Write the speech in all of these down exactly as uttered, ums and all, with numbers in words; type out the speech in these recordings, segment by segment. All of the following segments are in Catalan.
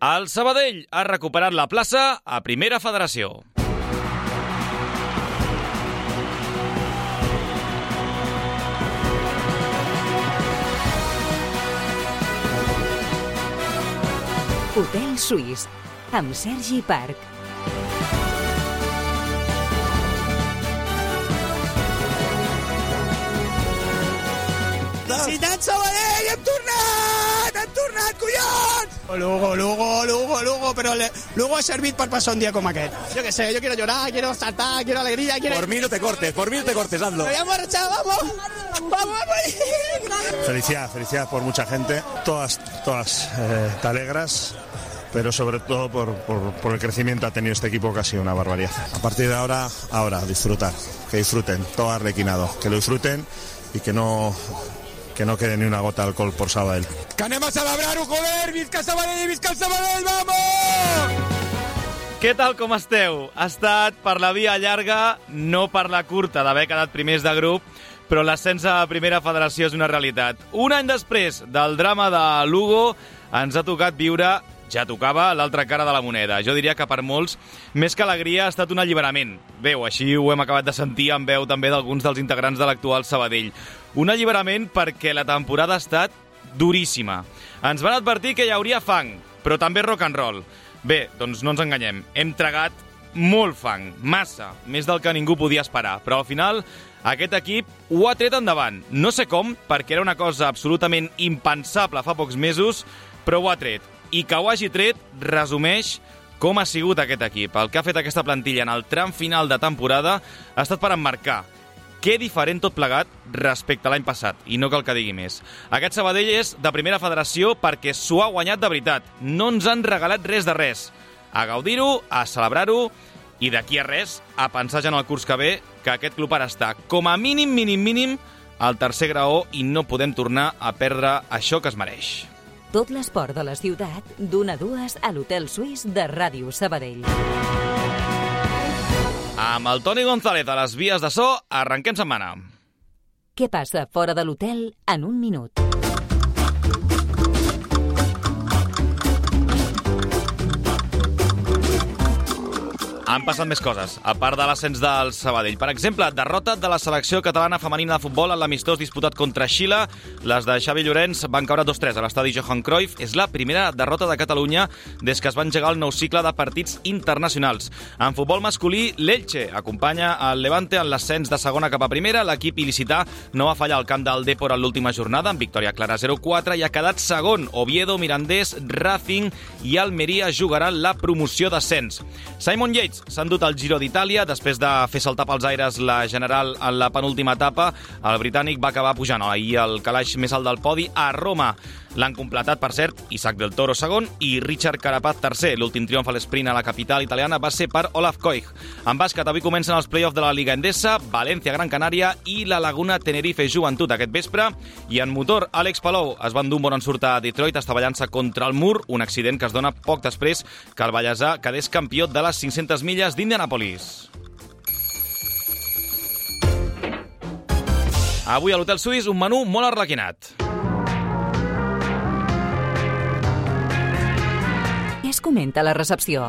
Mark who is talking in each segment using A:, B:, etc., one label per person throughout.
A: El Sabadell ha recuperat la plaça a Primera Federació.
B: Hotel Suís, amb Sergi Parc.
C: Ciutat Sabadell, hem tornat! Hem tornat, collons! Lugo, Lugo, Lugo, Lugo, però le, Lugo ha servit per passar un dia com aquest. Yo que sé, yo quiero llorar, quiero saltar, quiero alegría, quiero...
D: Por mí no te cortes, por mí no te cortes, hazlo.
C: ¡Me voy a marchar, vamos! ¡Vamos, vamos!
E: Felicidad, felicidad por mucha gente. Todas, todas eh, te alegras, pero sobre todo por, por, por el crecimiento que ha tenido este equipo, que ha sido una barbaridad. A partir de ahora, ahora, disfrutar. Que disfruten, todo arlequinado. Que lo disfruten y que no... que no quede ni una gota de alcohol por Sabadell.
C: Que anem a celebrar-ho, joder! Visca Sabadell, visca el Sabadell, vamos!
A: Què tal, com esteu? Ha estat per la via llarga, no per la curta, d'haver quedat primers de grup, però l'ascens a Primera Federació és una realitat. Un any després del drama de Lugo, ens ha tocat viure, ja tocava, l'altra cara de la moneda. Jo diria que per molts, més que alegria, ha estat un alliberament. Bé, així ho hem acabat de sentir en veu també d'alguns dels integrants de l'actual Sabadell. Un alliberament perquè la temporada ha estat duríssima. Ens van advertir que hi hauria fang, però també rock and roll. Bé, doncs no ens enganyem. Hem tragat molt fang, massa, més del que ningú podia esperar. Però al final, aquest equip ho ha tret endavant. No sé com, perquè era una cosa absolutament impensable fa pocs mesos, però ho ha tret. I que ho hagi tret resumeix com ha sigut aquest equip. El que ha fet aquesta plantilla en el tram final de temporada ha estat per emmarcar. Que diferent tot plegat respecte a l'any passat, i no cal que digui més. Aquest Sabadell és de Primera Federació perquè s'ho ha guanyat de veritat. No ens han regalat res de res. A gaudir-ho, a celebrar-ho, i d'aquí a res, a pensar ja en el curs que ve, que aquest club ara està, com a mínim, mínim, mínim, al tercer graó i no podem tornar a perdre això que es mereix.
B: Tot l'esport de la ciutat, d'una a dues a l'Hotel Suís de Ràdio Sabadell.
A: Amb el Toni González a les vies de so, arrenquem setmana.
B: Què passa fora de l'hotel en un minut?
A: Han passat més coses, a part de l'ascens del Sabadell. Per exemple, derrota de la selecció catalana femenina de futbol en l'amistós disputat contra Xile. Les de Xavi Llorenç van caure dos tres a l'estadi Johan Cruyff. És la primera derrota de Catalunya des que es va engegar el nou cicle de partits internacionals. En futbol masculí, l'Elche acompanya el Levante en l'ascens de segona cap a primera. L'equip il·licità no va fallar al camp del Depor en l'última jornada, amb victòria clara zero quatre, i ha quedat segon. Oviedo, Mirandés, Racing i Almeria jugaran la promoció d'ascens. Simon Yates s'ha endut el Giro d'Itàlia. Després de fer saltar pels aires la general en la penúltima etapa, el britànic va acabar pujant ahir el calaix més alt del podi a Roma. L'han completat, per cert, Isaac del Toro segon i Richard Carapaz tercer. L'últim triomf a l'esprint a la capital italiana va ser per Olaf Koich. En bàsquet, avui comencen els play-offs de la Liga Endesa, València Gran Canària i la Laguna Tenerife Joventut aquest vespre. I en motor, Àlex Palou es va endur un bon ensurt a Detroit estavellant-se contra el mur, un accident que es dona poc després que el vallesà quedés campió de les cinc-centes milles d'Indianapolis. Avui a l'Hotel Suís un menú molt arlequinat.
B: Què es comenta a la recepció?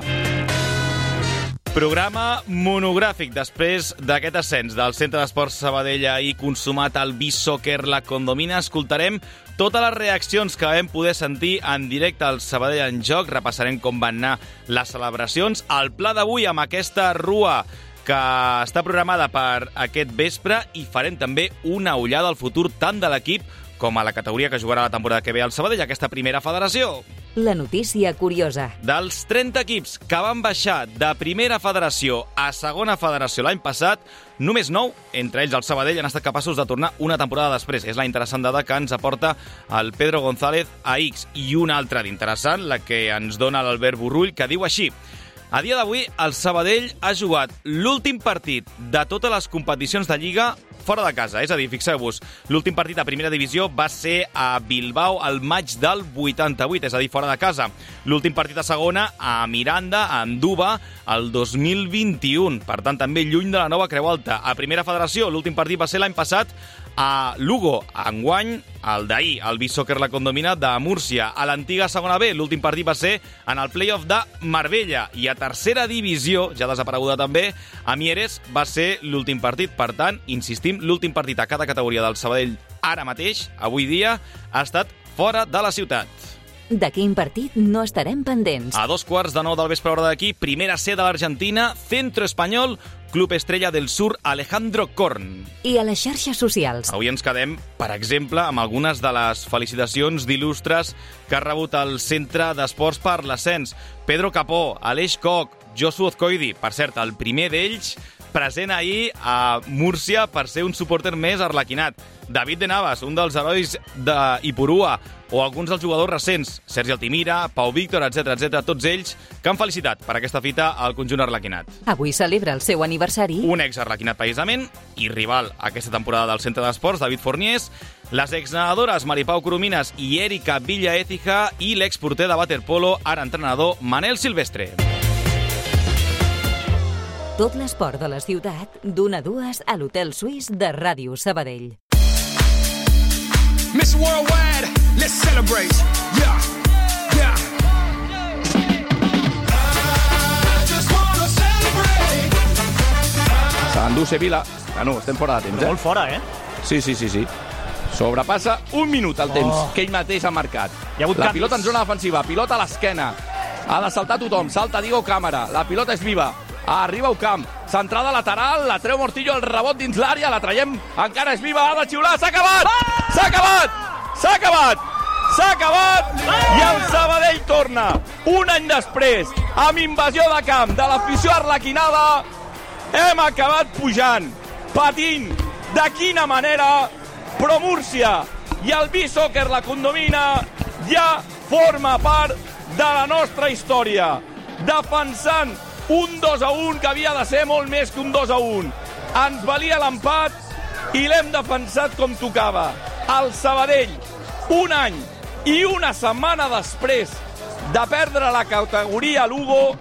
A: Programa monogràfic després d'aquest ascens del Centre d'Esports Sabadell i consumat el Beach Soccer La Condomina. Escoltarem totes les reaccions que vam poder sentir en directe al Sabadell en Joc. Repassarem com van anar les celebracions. El pla d'avui amb aquesta rua que està programada per aquest vespre, i farem també una ullada al futur tant de l'equip com a la categoria que jugarà la temporada que ve al Sabadell, aquesta Primera Federació.
B: La notícia curiosa.
A: Dels trenta equips que van baixar de Primera Federació a Segona Federació l'any passat, només nou, entre ells el Sabadell, han estat capaços de tornar una temporada després. És la interessant dada que ens aporta el Pedro González a X. I una altra d'interessant, la que ens dona l'Albert Borrull, que diu així: a dia d'avui, el Sabadell ha jugat l'últim partit de totes les competicions de Lliga fora de casa. És a dir, fixeu-vos, l'últim partit a primera divisió va ser a Bilbao al maig del vuitanta-vuit, és a dir, fora de casa. L'últim partit a segona a Miranda, a Anduba, el dos mil vint-i-u. Per tant, també lluny de la nova Creu Alta. A Primera Federació, l'últim partit va ser l'any passat A Lugo, enguany, el d'ahir, el Beach Soccer La Condomina de Múrcia. A l'antiga segona B, l'últim partit va ser en el play-off de Marbella. I a tercera divisió, ja desapareguda també, a Mieres va ser l'últim partit. Per tant, insistim, l'últim partit a cada categoria del Sabadell ara mateix, avui dia, ha estat fora de la ciutat.
B: De quin partit no estarem pendents?
A: A dos quarts de nou del vespre hora d'aquí, primera C de l'Argentina, Centro Espanyol, Club Estrella del Sur, Alejandro Korn.
B: I a les xarxes socials?
A: Avui ens quedem, per exemple, amb algunes de les felicitacions d'il·lustres que ha rebut el Centre d'Esports per l'Ascens. Pedro Capó, Aleix Koch, Josu Ozcoidi, per cert, el primer d'ells present ahir a Múrcia per ser un supporter més arlequinat. David de Navas, un dels herois d'Ipurua, o alguns dels jugadors recents, Sergi Altimira, Pau Víctor, etcètera, etcètera, tots ells que han felicitat per aquesta fita al conjunt arlequinat.
B: Avui celebra el seu aniversari
A: un ex-arlequinat precisament i rival aquesta temporada del Centre d'Esports, David Forniés, les exnedadores Maripau Coromines i Erika Villa Écija i l'exporter de waterpolo, ara entrenador, Manel Silvestre.
B: Tot l'esport de la ciutat, d'una a dues a l'Hotel Suís de Ràdio Sabadell.
F: Miss Worldwide, let's celebrate. Yeah, yeah. I just wanna celebrate.
G: S'endú Sevilla. Bueno, estem fora de temps, eh?
H: Molt fora, eh?
G: Sí, sí, sí, sí. Sobrepassa un minut el temps
H: Oh.
G: que ell mateix ha marcat.
H: Hi ha hagut
G: la
H: canvis.
G: pilota en zona defensiva, pilota a l'esquena. Ha de saltar tothom, salta Diego Cámara. La pilota és viva. Arriba Ocamp, centrada lateral, la treu Mortillo, el rebot dins l'àrea, la traiem, encara és viva, ha de xiular, s'ha acabat! S'ha acabat! S'ha acabat! S'ha acabat! I el Sabadell torna, un any després, amb invasió de camp de l'afició arlequinada, hem acabat pujant, patint, de quina manera, però Múrcia i el Beach Soccer La Condomina ja forma part de la nostra història, defensant un dos a un que havia de ser molt més que un dos a un. Ens valia l'empat i l'hem defensat com tocava. El Sabadell, un any i una setmana després de perdre la categoria Lugo,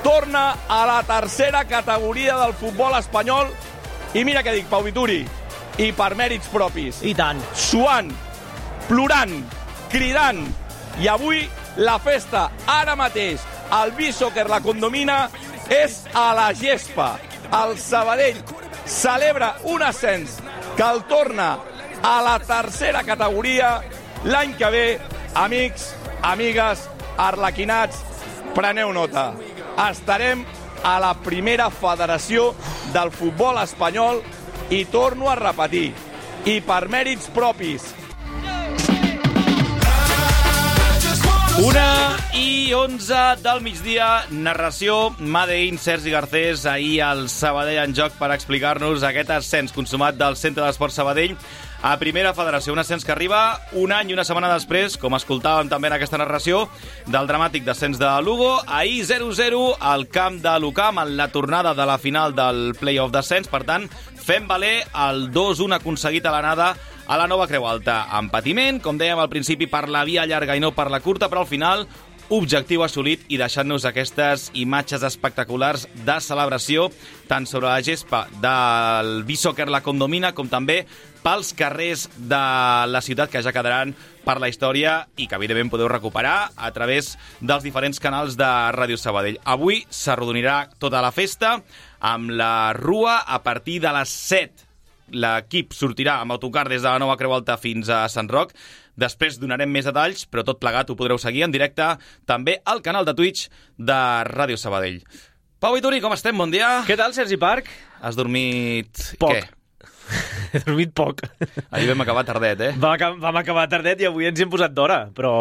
G: torna a la tercera categoria del futbol espanyol. I mira què dic, Pau Vituri, i per mèrits propis.
H: I tant.
G: Suant, plorant, cridant. I avui la festa, ara mateix, el Beach Soccer La Condomina, és a la gespa. El Sabadell celebra un ascens que el torna a la tercera categoria. L'any que ve, amics, amigues, arlequinats, preneu nota. Estarem a la primera federació del futbol espanyol i torno a repetir, i per mèrits propis.
A: Una i onze del migdia, narració Made in Sergi Garcés, ahir al Sabadell en joc per explicar-nos aquest ascens consumat del Centre d'Esports Sabadell a Primera Federació. Un ascens que arriba un any i una setmana després, com escoltàvem també en aquesta narració, del dramàtic descens de Lugo. Ahir zero zero al camp de l'Ucam en la tornada de la final del play-off d'ascens. Per tant, fem valer el dos un aconseguit a l'anada a la nova Creu Alta. En patiment, com dèiem al principi, per la via llarga i no per la curta, però al final objectiu assolit i deixant-nos aquestes imatges espectaculars de celebració tant sobre la gespa del Beach Soccer La Condomina com també pels carrers de la ciutat que ja quedaran per la història i que evidentment podeu recuperar a través dels diferents canals de Ràdio Sabadell. Avui s'arrodonirà tota la festa amb la rua a partir de les set. L'equip sortirà amb autocar des de la nova Creu Alta fins a Sant Roc. Després donarem més detalls, però tot plegat ho podreu seguir en directe també al canal de Twitch de Ràdio Sabadell. Pau Vituri, com estem? Bon dia.
H: Què tal, Sergi Parc?
A: Has dormit...
H: Poc.
A: Què?
H: He dormit poc.
A: Ahir vam acabar tardet, eh?
H: Vam, acabar, vam acabar tardet i avui ens hi hem posat d'hora. Però,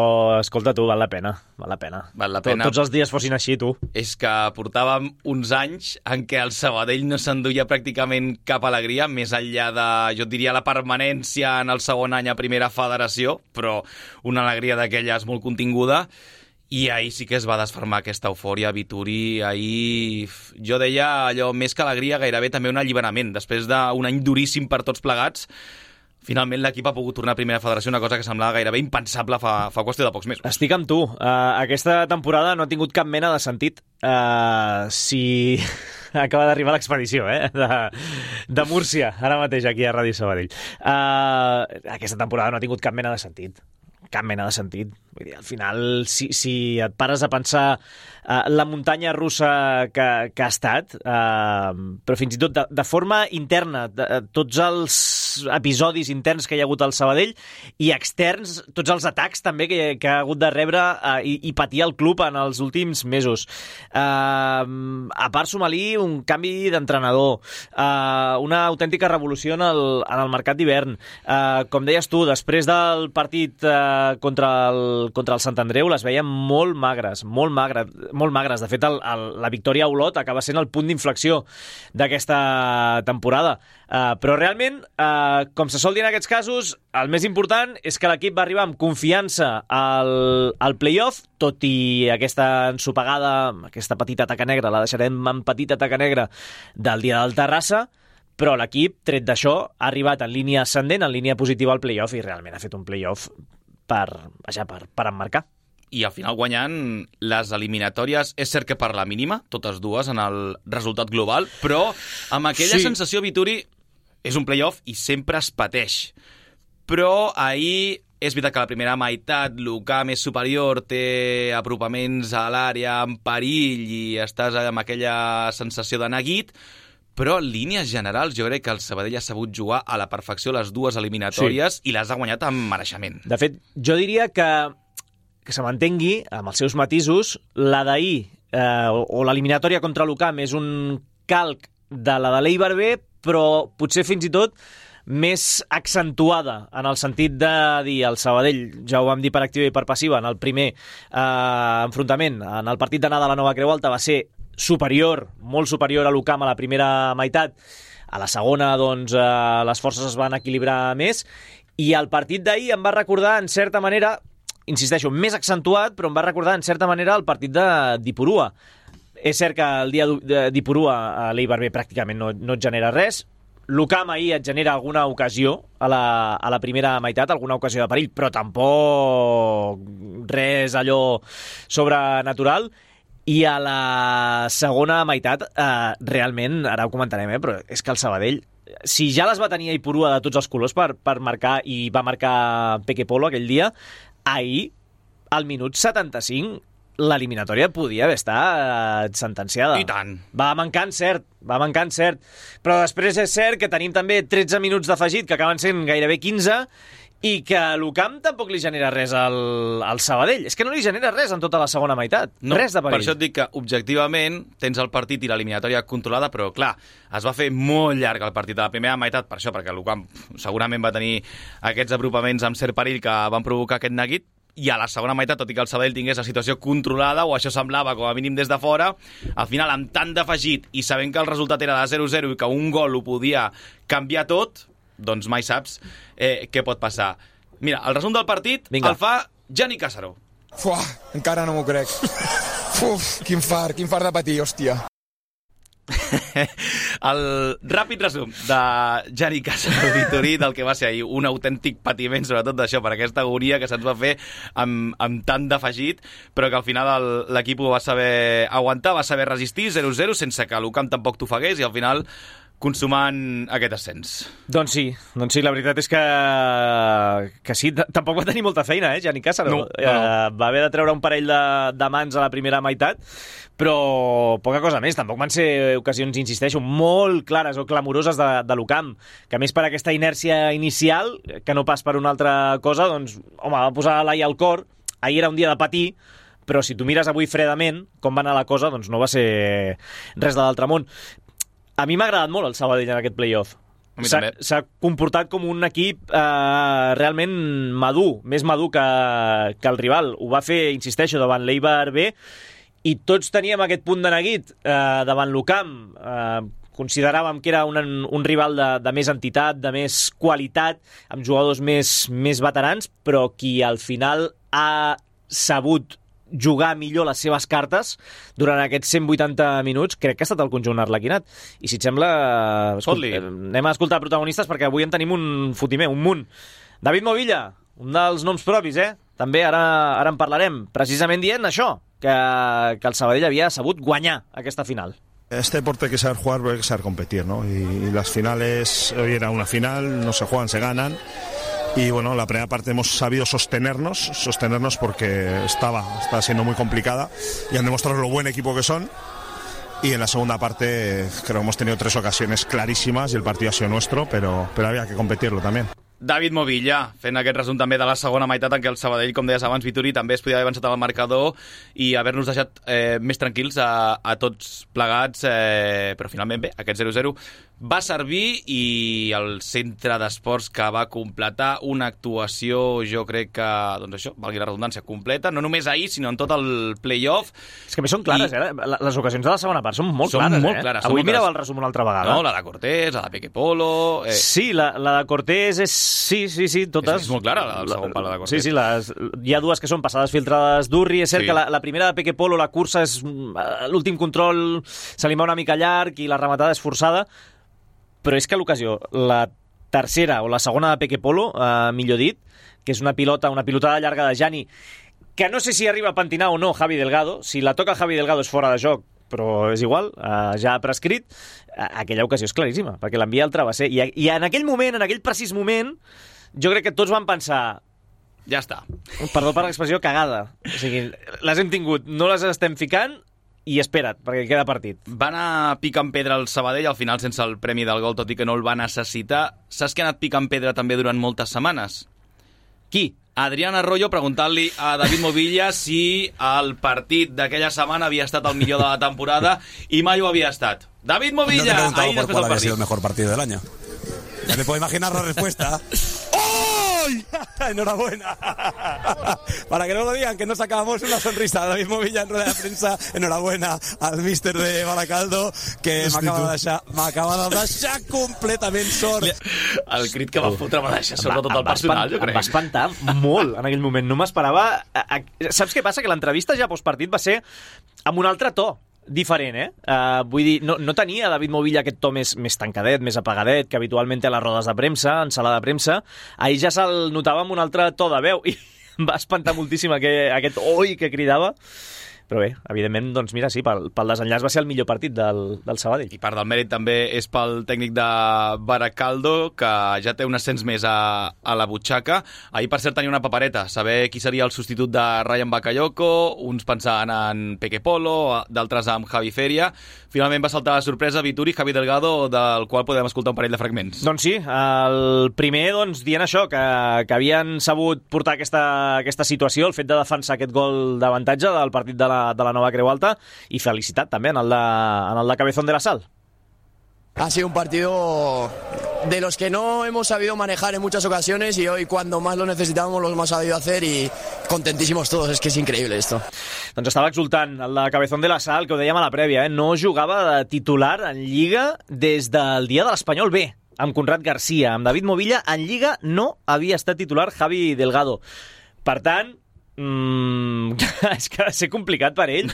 H: escolta, tu, val la pena. Val la pena.
A: Val la pena.
H: Tots els dies fossin així, tu.
A: És que portàvem uns anys en què el Sabadell no s'enduia pràcticament cap alegria, més enllà de, jo et diria, la permanència en el segon any a Primera Federació, però una alegria d'aquelles molt continguda. I ahir sí que es va desfermar aquesta eufòria, Vituri. Ahir jo deia allò, més que alegria, gairebé també un alliberament. Després d'un any duríssim per tots plegats, finalment l'equip ha pogut tornar a Primera Federació, una cosa que semblava gairebé impensable fa, fa qüestió de pocs mesos.
H: Estic amb tu. Uh, aquesta temporada no ha tingut cap mena de sentit. Uh, si acaba d'arribar l'expedició, eh? De, de Múrcia, ara mateix aquí a Ràdio Sabadell. Uh, aquesta temporada no ha tingut cap mena de sentit. Cap mena de sentit. Vull dir, al final, si, si et pares a pensar uh, la muntanya russa que, que ha estat, uh, però fins i tot de, de forma interna, de, de, tots els episodis interns que hi ha hagut al Sabadell i externs, tots els atacs també que, que ha hagut de rebre uh, i, i patir el club en els últims mesos. Uh, a part, suma-li un canvi d'entrenador, uh, una autèntica revolució en el, en el mercat d'hivern. Uh, com deies tu, després del partit uh, contra el contra el Sant Andreu les veiem molt magres, molt magres, molt magres. De fet, el, el, la victòria a Olot acaba sent el punt d'inflexió d'aquesta temporada. Uh, però realment, uh, com se sol dir en aquests casos, el més important és que l'equip va arribar amb confiança al, al play-off, tot i aquesta ensopegada, aquesta petita taca negra, la deixarem en petita taca negra del dia del Terrassa, però l'equip, tret d'això, ha arribat en línia ascendent, en línia positiva al play-off, i realment ha fet un play-off per, vaja, per, per emmarcar.
A: I al final guanyant les eliminatòries, és cert que per la mínima, totes dues en el resultat global, però amb aquella sí. sensació, Vituri, és un play-off i sempre es pateix. Però ahir és veritat que la primera meitat l'Ucam és superior, té apropaments a l'àrea en perill i estàs amb aquella sensació de neguit, però en línies generals jo crec que el Sabadell ha sabut jugar a la perfecció les dues eliminatòries sí. i les ha guanyat amb mereixement.
H: De fet, jo diria que, que se m'entengui, amb els seus matisos, la d'ahir eh, o, o l'eliminatòria contra l'Ucam és un calc de la de l'Eibar B, però potser fins i tot més accentuada, en el sentit de dir el Sabadell, ja ho vam dir per activa i per passiva, en el primer eh, enfrontament, en el partit d'anada a la Nova Creu Alta va ser superior, molt superior a l'Ucam a la primera meitat. A la segona, doncs, eh, les forces es van equilibrar més, i el partit d'ahir em va recordar, en certa manera, insisteixo, més accentuat, però em va recordar, en certa manera, el partit de d'Ipurua. És cert que el dia d'Ipurua a l'Eibar B pràcticament no, no et genera res. L'Ucam ahir et genera alguna ocasió a la, a la primera meitat, alguna ocasió de perill, però tampoc res allò sobrenatural. I a la segona meitat, eh, realment, ara ho comentarem, eh, però és que el Sabadell, si ja les va tenir a Ipurua de tots els colors per, per marcar, i va marcar Peque Polo aquell dia, ahir, al minut setanta-cinc, l'eliminatòria podia haver estat sentenciada.
A: I tant.
H: Va mancar encert, va mancar encert. Però després és cert que tenim també tretze minuts d'afegit, que acaben sent gairebé quinze, i que l'Ucam tampoc li genera res al, al Sabadell. És que no li genera res en tota la segona meitat.
A: No,
H: res de perill.
A: Per això et dic que, objectivament, tens el partit i l'eliminatòria controlada, però, clar, es va fer molt llarg el partit de la primera meitat, per això, perquè l'Ucam segurament va tenir aquests apropaments amb cert perill que van provocar aquest neguit, i a la segona meitat, tot i que el Sabadell tingués la situació controlada, o això semblava com a mínim des de fora, al final, amb tant d'afegit i sabent que el resultat era de zero zero i que un gol ho podia canviar tot, doncs mai saps eh, què pot passar. Mira, el resum del partit Vinga. el fa Gianni Càssaro.
F: Fuà, encara no m'ho crec. Uf, quin fart, quin fart de patir, hòstia.
A: El ràpid resum de Gianni Càssaro Vituri del que va ser ahir un autèntic patiment, sobretot d'això, per aquesta agonia que se'ns va fer amb, amb tant d'afegit, però que al final l'equip ho va saber aguantar, va saber resistir zero zero sense que l'Ucam tampoc t'ofegués, i al final consumant aquest ascens.
H: Doncs sí, doncs sí, la veritat és que, que sí, tampoc va tenir molta feina, eh, Gianni Càssaro.
A: No, no, no.
H: Eh, va haver de treure un parell de, de mans a la primera meitat, però poca cosa més. Tampoc van ser ocasions, insisteixo, molt clares o clamoroses de, de l'Ucam, que a més per aquesta inèrcia inicial, que no pas per una altra cosa, doncs, home, va posar l'ai al cor. Ahir era un dia de patir, però si tu mires avui fredament com va anar la cosa, doncs no va ser res de l'altre món. A mi m'ha agradat molt el Sabadell en aquest play-off. S'ha comportat com un equip eh, realment madur, més madur que, que el rival. Ho va fer, insisteixo, davant l'Eibar B, i tots teníem aquest punt de neguit eh, davant l'Ucam. Eh, consideràvem que era un, un rival de, de més entitat, de més qualitat, amb jugadors més, més veterans, però qui al final ha sabut jugar millor les seves cartes durant aquests cent vuitanta minuts, crec que ha estat el conjunt arlequinat. I si et sembla, escolt, anem a escoltar protagonistes, perquè avui en tenim un fotimer, un munt. David Movilla, un dels noms propis, eh? També ara, ara en parlarem, precisament dient això, que, que el Sabadell havia sabut guanyar aquesta final.
E: Este deporte hay que saber jugar, pero hay que saber competir, ¿no? Y, y las finales, hoy era una final, no se juegan, se ganan. Y bueno, la primera parte hemos sabido sostenernos, sostenernos porque estaba, estaba siendo muy complicada y han demostrado lo buen equipo que son. Y en la segunda parte creo que hemos tenido tres ocasiones clarísimas y el partido ha sido nuestro, pero, pero había que competirlo también.
A: David Movilla, fent aquest resum també de la segona meitat en què el Sabadell, com deies abans, Vituri, també es podia haver avançat al marcador i haver-nos deixat eh, més tranquils a, a tots plegats, eh, però finalment bé, aquest zero zero va servir i el centre d'esports que va completar una actuació, jo crec que, doncs això, valgui la redundància, completa, no només ahir, sinó en tot el play-off.
H: És que a més són clares, I... eh? Les ocasions de la segona part són molt
A: són
H: clares,
A: molt
H: eh?
A: clares.
H: Avui
A: molt
H: mirava
A: clares.
H: el resum una altra vegada.
A: No, la de Cortés, la de Peque Polo... Eh...
H: Sí, la, la de Cortés és... Sí, sí, sí, totes...
A: És, és molt clara, la del segon pal de Cortés.
H: Sí, sí, les... hi ha dues que són passades filtrades d'Urri. És cert
A: sí.
H: que la, la primera de Peque Polo, la cursa és... L'últim control se li va una mica llarg i la rematada és forçada, però és que l'ocasió, la tercera o la segona de Peque Polo, eh, millor dit, que és una pilota, una pilotada llarga de Jani, que no sé si arriba a pentinar o no Javi Delgado, si la toca Javi Delgado és fora de joc, però és igual, eh, ja ha prescrit, aquella ocasió és claríssima, perquè l'envia al travesser, i, i en aquell moment, en aquell precís moment, jo crec que tots van pensar...
A: Ja està.
H: Perdó per l'expressió, cagada. O sigui, les hem tingut, no les estem ficant, i espera't, perquè queda partit.
A: Va anar picant pedra al Sabadell, al final sense el premi del gol, tot i que no el va necessitar. Saps que ha anat picant pedra també durant moltes setmanes?
H: Qui?
A: Adrián Arroyo, preguntant-li a David Movilla si el partit d'aquella setmana havia estat el millor de la temporada i mai ho havia estat. David Movilla,
D: no te he
A: ahí
D: preguntado por
A: després
D: cuál
A: del
D: había
A: partit.
D: sido el mejor partido del año. Ya me puedo imaginar la respuesta. ¡Ay! ¡Enhorabuena! Para que no lo digan, que nos sacábamos una sonrisa. David Movilla en rueda de prensa. Enhorabuena al míster de Baracaldo, que m'acaba de deixar, m'acaba de deixar completament sort.
A: El crit que va fotre va deixar sort tot el personal, jo crec.
H: Em va espantar molt en aquell moment. No m'esperava... Saps què passa? Que l'entrevista ja postpartit va ser amb un altre to. Diferent, eh? Uh, vull dir, no, no tenia David Movilla aquest to més, més tancadet, més apagadet, que habitualment té a les rodes de premsa, en sala de premsa. Ahir ja se'l notava amb un altre to de veu i em va espantar moltíssim aquest, aquest oi que cridava. Però bé, evidentment, doncs mira, sí, pel, pel desenllaç va ser el millor partit del, del Sabadell.
A: I part del mèrit també és pel tècnic de Baracaldo, que ja té un ascens més a, a la butxaca. Ahir, per cert, tenia una papereta, saber qui seria el substitut de Ryan Bakayoko, uns pensaven en Peque Polo, d'altres amb Javi Feria. Finalment va saltar la sorpresa Vituri, Javi Delgado, del qual podem escoltar un parell de fragments.
H: Doncs sí, el primer doncs, dient això, que, que havien sabut portar aquesta, aquesta situació, el fet de defensar aquest gol d'avantatge del partit de la de la nova Creu Alta, i felicitat també en el de, en el de Cabezón de la Sal.
I: Ha sido un partido de los que no hemos sabido manejar en muchas ocasiones y hoy cuando más lo necesitábamos lo hemos sabido hacer y contentísimos todos, es que es increíble esto.
H: Doncs estava exultant el de Cabezón de la Sal, que ho dèiem a la prèvia, eh? No jugava de titular en Lliga des del dia de l'Espanyol B, amb Conrad Garcia. Amb David Movilla en Lliga no havia estat titular Javi Delgado. Per tant, Mm, és que ha de ser complicat per ell.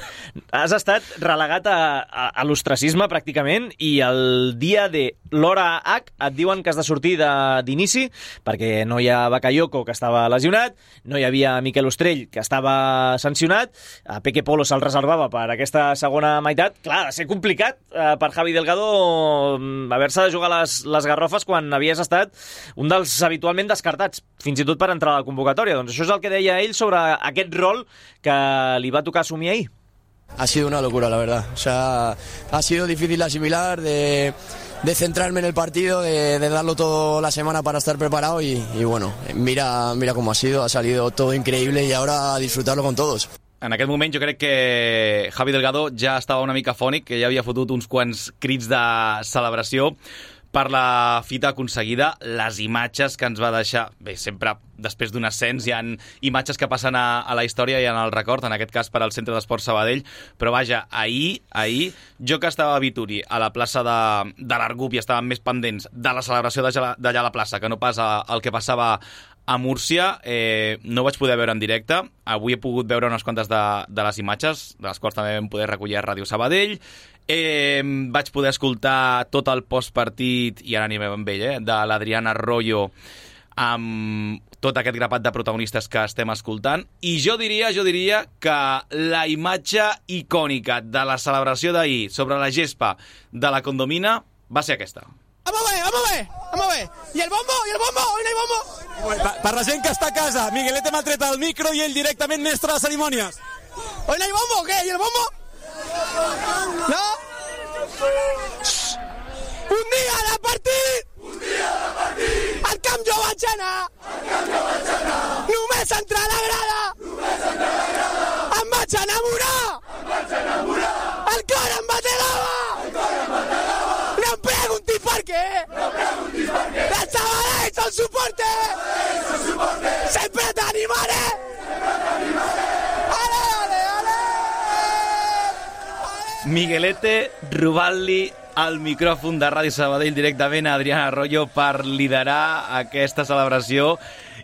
H: Has estat relegat a, a, a l'ostracisme pràcticament, i el dia de l'hora H et diuen que has de sortir d'inici perquè no hi ha Bakayoko, que estava lesionat, no hi havia Miquel Ostrell, que estava sancionat, a Peque Polo se'l reservava per aquesta segona meitat. Clar, ha de ser complicat eh, per Javi Delgado haver-se de jugar les, les garrofes quan havies estat un dels habitualment descartats, fins i tot per entrar a la convocatòria. Doncs això és el que deia ell sobre aquest rol que li va tocar assumir ahir.
I: Ha sido una locura, la verdad. O sea, ha sido difícil de asimilar, de, de centrarme en el partido, de, de darlo todo la semana para estar preparado y, y bueno, mira, mira cómo ha sido, ha salido todo increíble y ahora a disfrutarlo con todos.
A: En aquest moment jo crec que Javi Delgado ja estava una mica fònic, que ja havia fotut uns quants crits de celebració per la fita aconseguida, les imatges que ens va deixar. Bé, sempre després d'un ascens hi ha imatges que passen a, a la història i en el record, en aquest cas per al Centre d'Esports Sabadell, però vaja, ahir, ahir, jo que estava a Vituri, a la plaça de, de l'Argup, i estàvem més pendents de la celebració d'allà a la plaça que no pas el que passava a Múrcia, eh, no vaig poder veure en directe. Avui he pogut veure unes quantes de, de les imatges, de les quals també vam poder recollir a Ràdio Sabadell. Eh, vaig poder escoltar tot el postpartit, i ara anirem amb ell, eh, de l'Adrián Arroyo, amb tot aquest grapat de protagonistes que estem escoltant. I jo diria, jo diria que la imatge icònica de la celebració d'ahir sobre la gespa de la Condomina va ser aquesta.
C: Vamos a ver, vamos a ver, vamos a ver. ¿Y el bombo? ¿Y el bombo? ¿Hoy no hay bombo?
D: Per, per la gent que està a casa, Miguelete m'ha tret el micro i ell directament mestre de cerimònies.
C: ¿Hoy no hay bombo o qué? ¿Y el bombo? ¿No? Un dia de partit! Un dia de partit! El camp jo vaig anar! El camp jo vaig anar! Només entrar a la grada! Només entrar a la grada! Em vaig enamorar! Em vaig enamorar! El cor em bategava! El cor em bategava! No em preguntis per què! No em preguntis per què! El Sabadell son suporte! El Sabadell son suporte! Sempre t'animaré! Sempre t'animaré! Ale, ale, ale!
A: Miguelete robant-li el micròfon de Ràdio Sabadell directament a Adrián Arroyo per liderar aquesta celebració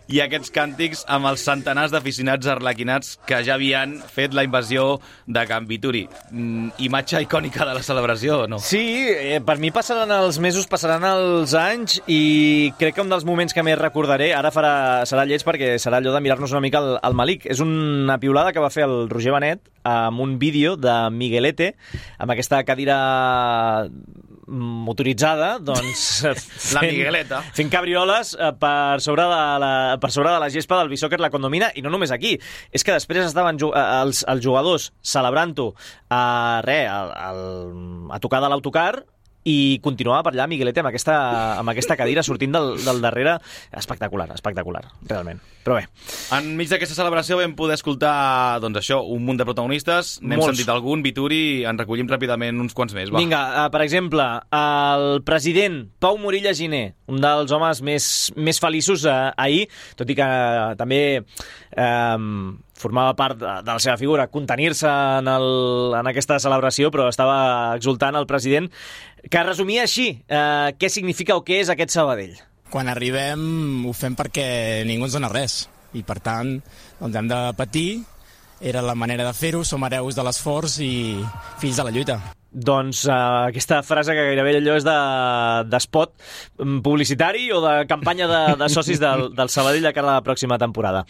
A: i aquests càntics amb els centenars d'aficionats arlequinats que ja havien fet la invasió de Can Vituri. Mm, imatge icònica de la celebració, o no?
H: Sí, eh, per mi passaran els mesos, passaran els anys i crec que un dels moments que més recordaré, ara farà, serà lleig perquè serà allò de mirar-nos una mica el, el Malik. És una piulada que va fer el Roger Benet amb un vídeo de Miguelete amb aquesta cadira motoritzada, doncs
A: la Migueleta
H: fent cabrioles per sobre de la, per sobre de la gespa del Bisóquer la Condomina, i no només aquí, és que després estaven els, els jugadors celebrant-ho a, re, a, a tocar de l'autocar i continuava per allà Miguelete amb aquesta, amb aquesta cadira sortint del, del darrere. Espectacular, espectacular, realment. Però bé.
A: Enmig d'aquesta celebració vam poder escoltar, doncs això, un munt de protagonistes. N'hem
H: Molts.
A: sentit algun, Vituri, en recollim ràpidament uns quants més. Va.
H: Vinga, uh, per exemple, el president Pau Morilla Giner, un dels homes més, més feliços uh, ahir, tot i que uh, també uh, formava part de, de la seva figura, contenir-se en, el, en aquesta celebració, però estava exultant el president, que resumia així eh, què significa o què és aquest Sabadell.
C: Quan arribem ho fem perquè ningú ens dona res i per tant doncs hem de patir, era la manera de fer-ho, som hereus de l'esforç i fills de la lluita.
H: Doncs uh, aquesta frase que gairebé allò és de, de spot publicitari o de campanya de, de socis del, del Sabadell de cara a la pròxima temporada.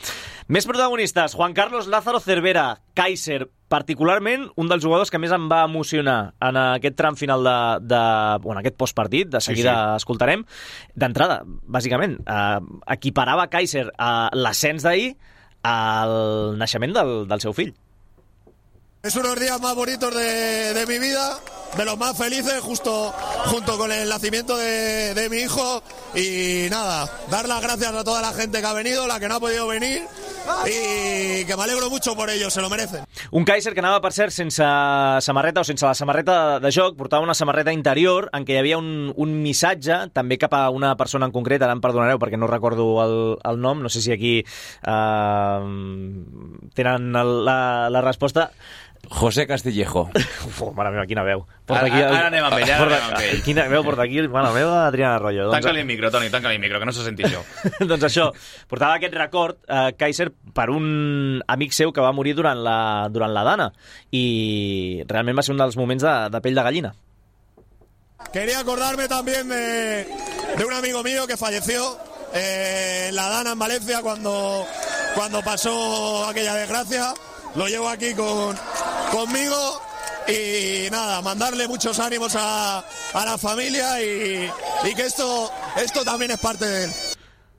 H: Més protagonistes, Juan Carlos Lázaro Cervera, Kaiser, particularment un dels jugadors que més em va emocionar en aquest tram final de, de bueno, aquest postpartit, de seguida sí, sí. escoltarem. D'entrada, bàsicament, uh, equiparava Kaiser a l'ascens d'ahir al naixement del, del seu fill.
J: Es unos días más bonitos de, de mi vida, de los más felices, justo junto con el nacimiento de, de mi hijo. Y nada, dar las gracias a toda la gente que ha venido, la que no ha podido venir, y que me alegro mucho por ellos, se lo merecen.
H: Un Kaiser que anava, per cert, sense samarreta o sense la samarreta de joc, portava una samarreta interior en què hi havia un, un missatge, també cap a una persona en concret, ara em perdonareu perquè no recordo el, el nom, no sé si aquí eh, tenen el, la, la resposta.
K: José Castillejo.
H: Uf, mare meva, quina veu.
A: Porta aquí, ara, ara anem amb ell, ara anem amb ell.
H: Quina veu porta aquí, mare meva, Adrián Arroyo.
A: Tanca-li el micro, Toni, tanca-li el micro, que no se senti això.
H: Doncs això, portava aquest record, eh, Kaiser, per un amic seu que va morir durant la, durant la Dana, i realment va ser un dels moments de, de pell de gallina.
J: Quería acordarme también de, de un amigo mío que falleció eh, en la Dana en Valencia cuando, cuando pasó aquella desgracia. Lo llevo aquí con, conmigo y nada, mandarle muchos ánimos a, a la familia y, y que esto, esto también es parte de él.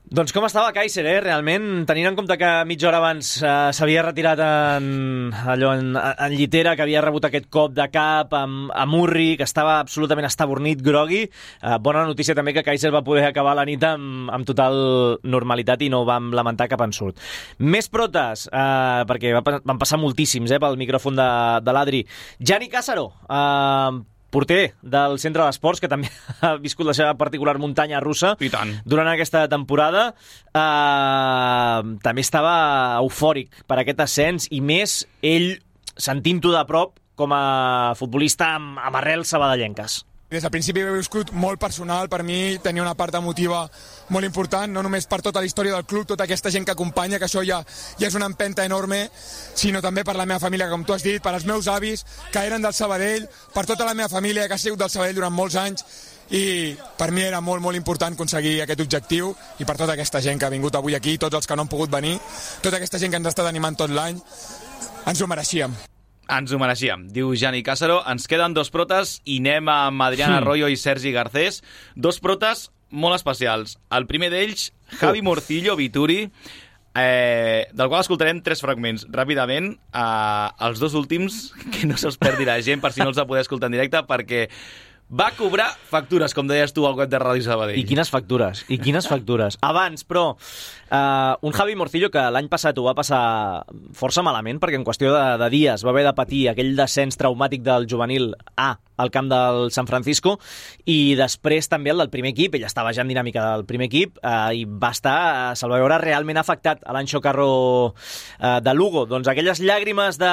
H: Doncs com estava Kaiser, eh? Realment, tenint en compte que mitja hora abans eh, s'havia retirat en, allò, en, en llitera, que havia rebut aquest cop de cap amb, amb Murri, que estava absolutament estabornit, grogui. Eh, bona notícia també que Kaiser va poder acabar la nit amb, amb total normalitat i no vam lamentar cap ensurt. Més protes, eh, perquè va, van passar moltíssims eh, pel micròfon de, de l'Adri. Gianni Càssaro, eh, porter del Centre d'Esports, que també ha viscut la seva particular muntanya russa durant aquesta temporada. Uh, també estava eufòric per aquest ascens, i més ell sentint-ho de prop com a futbolista amb, amb arrels sabadellenques.
F: Des del principi he viscut molt personal, per mi tenia una part emotiva molt important, no només per tota la història del club, tota aquesta gent que acompanya, que això ja, ja és una empenta enorme, sinó també per la meva família, com tu has dit, per als meus avis, que eren del Sabadell, per tota la meva família, que ha sigut del Sabadell durant molts anys, i per mi era molt, molt important aconseguir aquest objectiu, i per tota aquesta gent que ha vingut avui aquí, tots els que no han pogut venir, tota aquesta gent que ens ha estat animant tot l'any, ens ho mereixíem.
A: Ens ho mereixíem, diu Jani Càcero. Ens queden dos protes i anem amb Adrián Arroyo i Sergi Garcés. Dos protes molt especials. El primer d'ells, Javi Morcillo Vituri, eh, del qual escoltarem tres fragments ràpidament. Eh, els dos últims, que no se'ls perdi la gent per si no els ha poder escoltar en directe, perquè va cobrar factures, com deies tu, al web de Ràdio Sabadell.
H: I quines factures, i quines factures. Abans, però, uh, un Javi Morcillo que l'any passat ho va passar força malament, perquè en qüestió de, de dies va haver de patir aquell descens traumàtic del juvenil A al camp del San Francisco, i després també el del primer equip. Ell estava ja en dinàmica del primer equip eh, i va estar, se'l va veure realment afectat a l'Anxo Carro eh, de Lugo. Doncs aquelles llàgrimes de,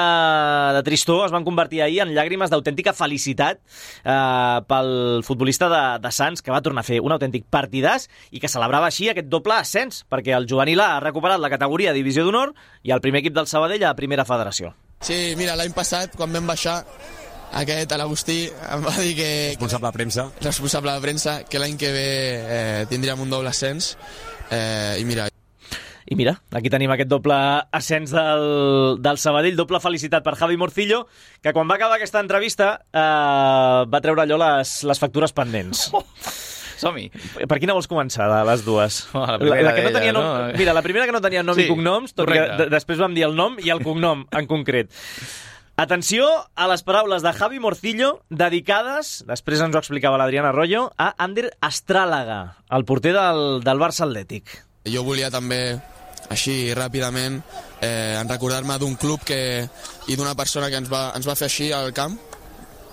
H: de tristor es van convertir ahir en llàgrimes d'autèntica felicitat eh, pel futbolista de, de Sants, que va tornar a fer un autèntic partidàs i que celebrava així aquest doble ascens, perquè el juvenil A ha recuperat la categoria de Divisió d'Honor i el primer equip del Sabadell a Primera Federació.
I: Sí, mira, l'any passat, quan vam baixar, aquest, l'Agustí, em va dir que...
D: Responsable de premsa.
I: Responsable de premsa, que l'any que ve eh, tindríem un doble ascens. Eh, I mira...
H: I mira, aquí tenim aquest doble ascens del, del Sabadell, doble felicitat per Javi Morcillo, que quan va acabar aquesta entrevista eh, va treure allò les, les factures pendents.
A: Oh, som-hi.
H: Per quina vols començar, de les dues?
A: Oh, la, la, la, que no tenia
H: nom... no? Mira, la primera que no tenia nom sí, i cognoms, tot que després vam dir el nom i el cognom en concret. Atenció a les paraules de Javi Morcillo dedicades, després ens ho explicava l'Adrián Arroyo, a Ander Astràlaga, el porter del, del Barça Atlètic.
I: Jo volia també, així ràpidament, eh, recordar-me d'un club que, i d'una persona que ens va, ens va fer així al camp.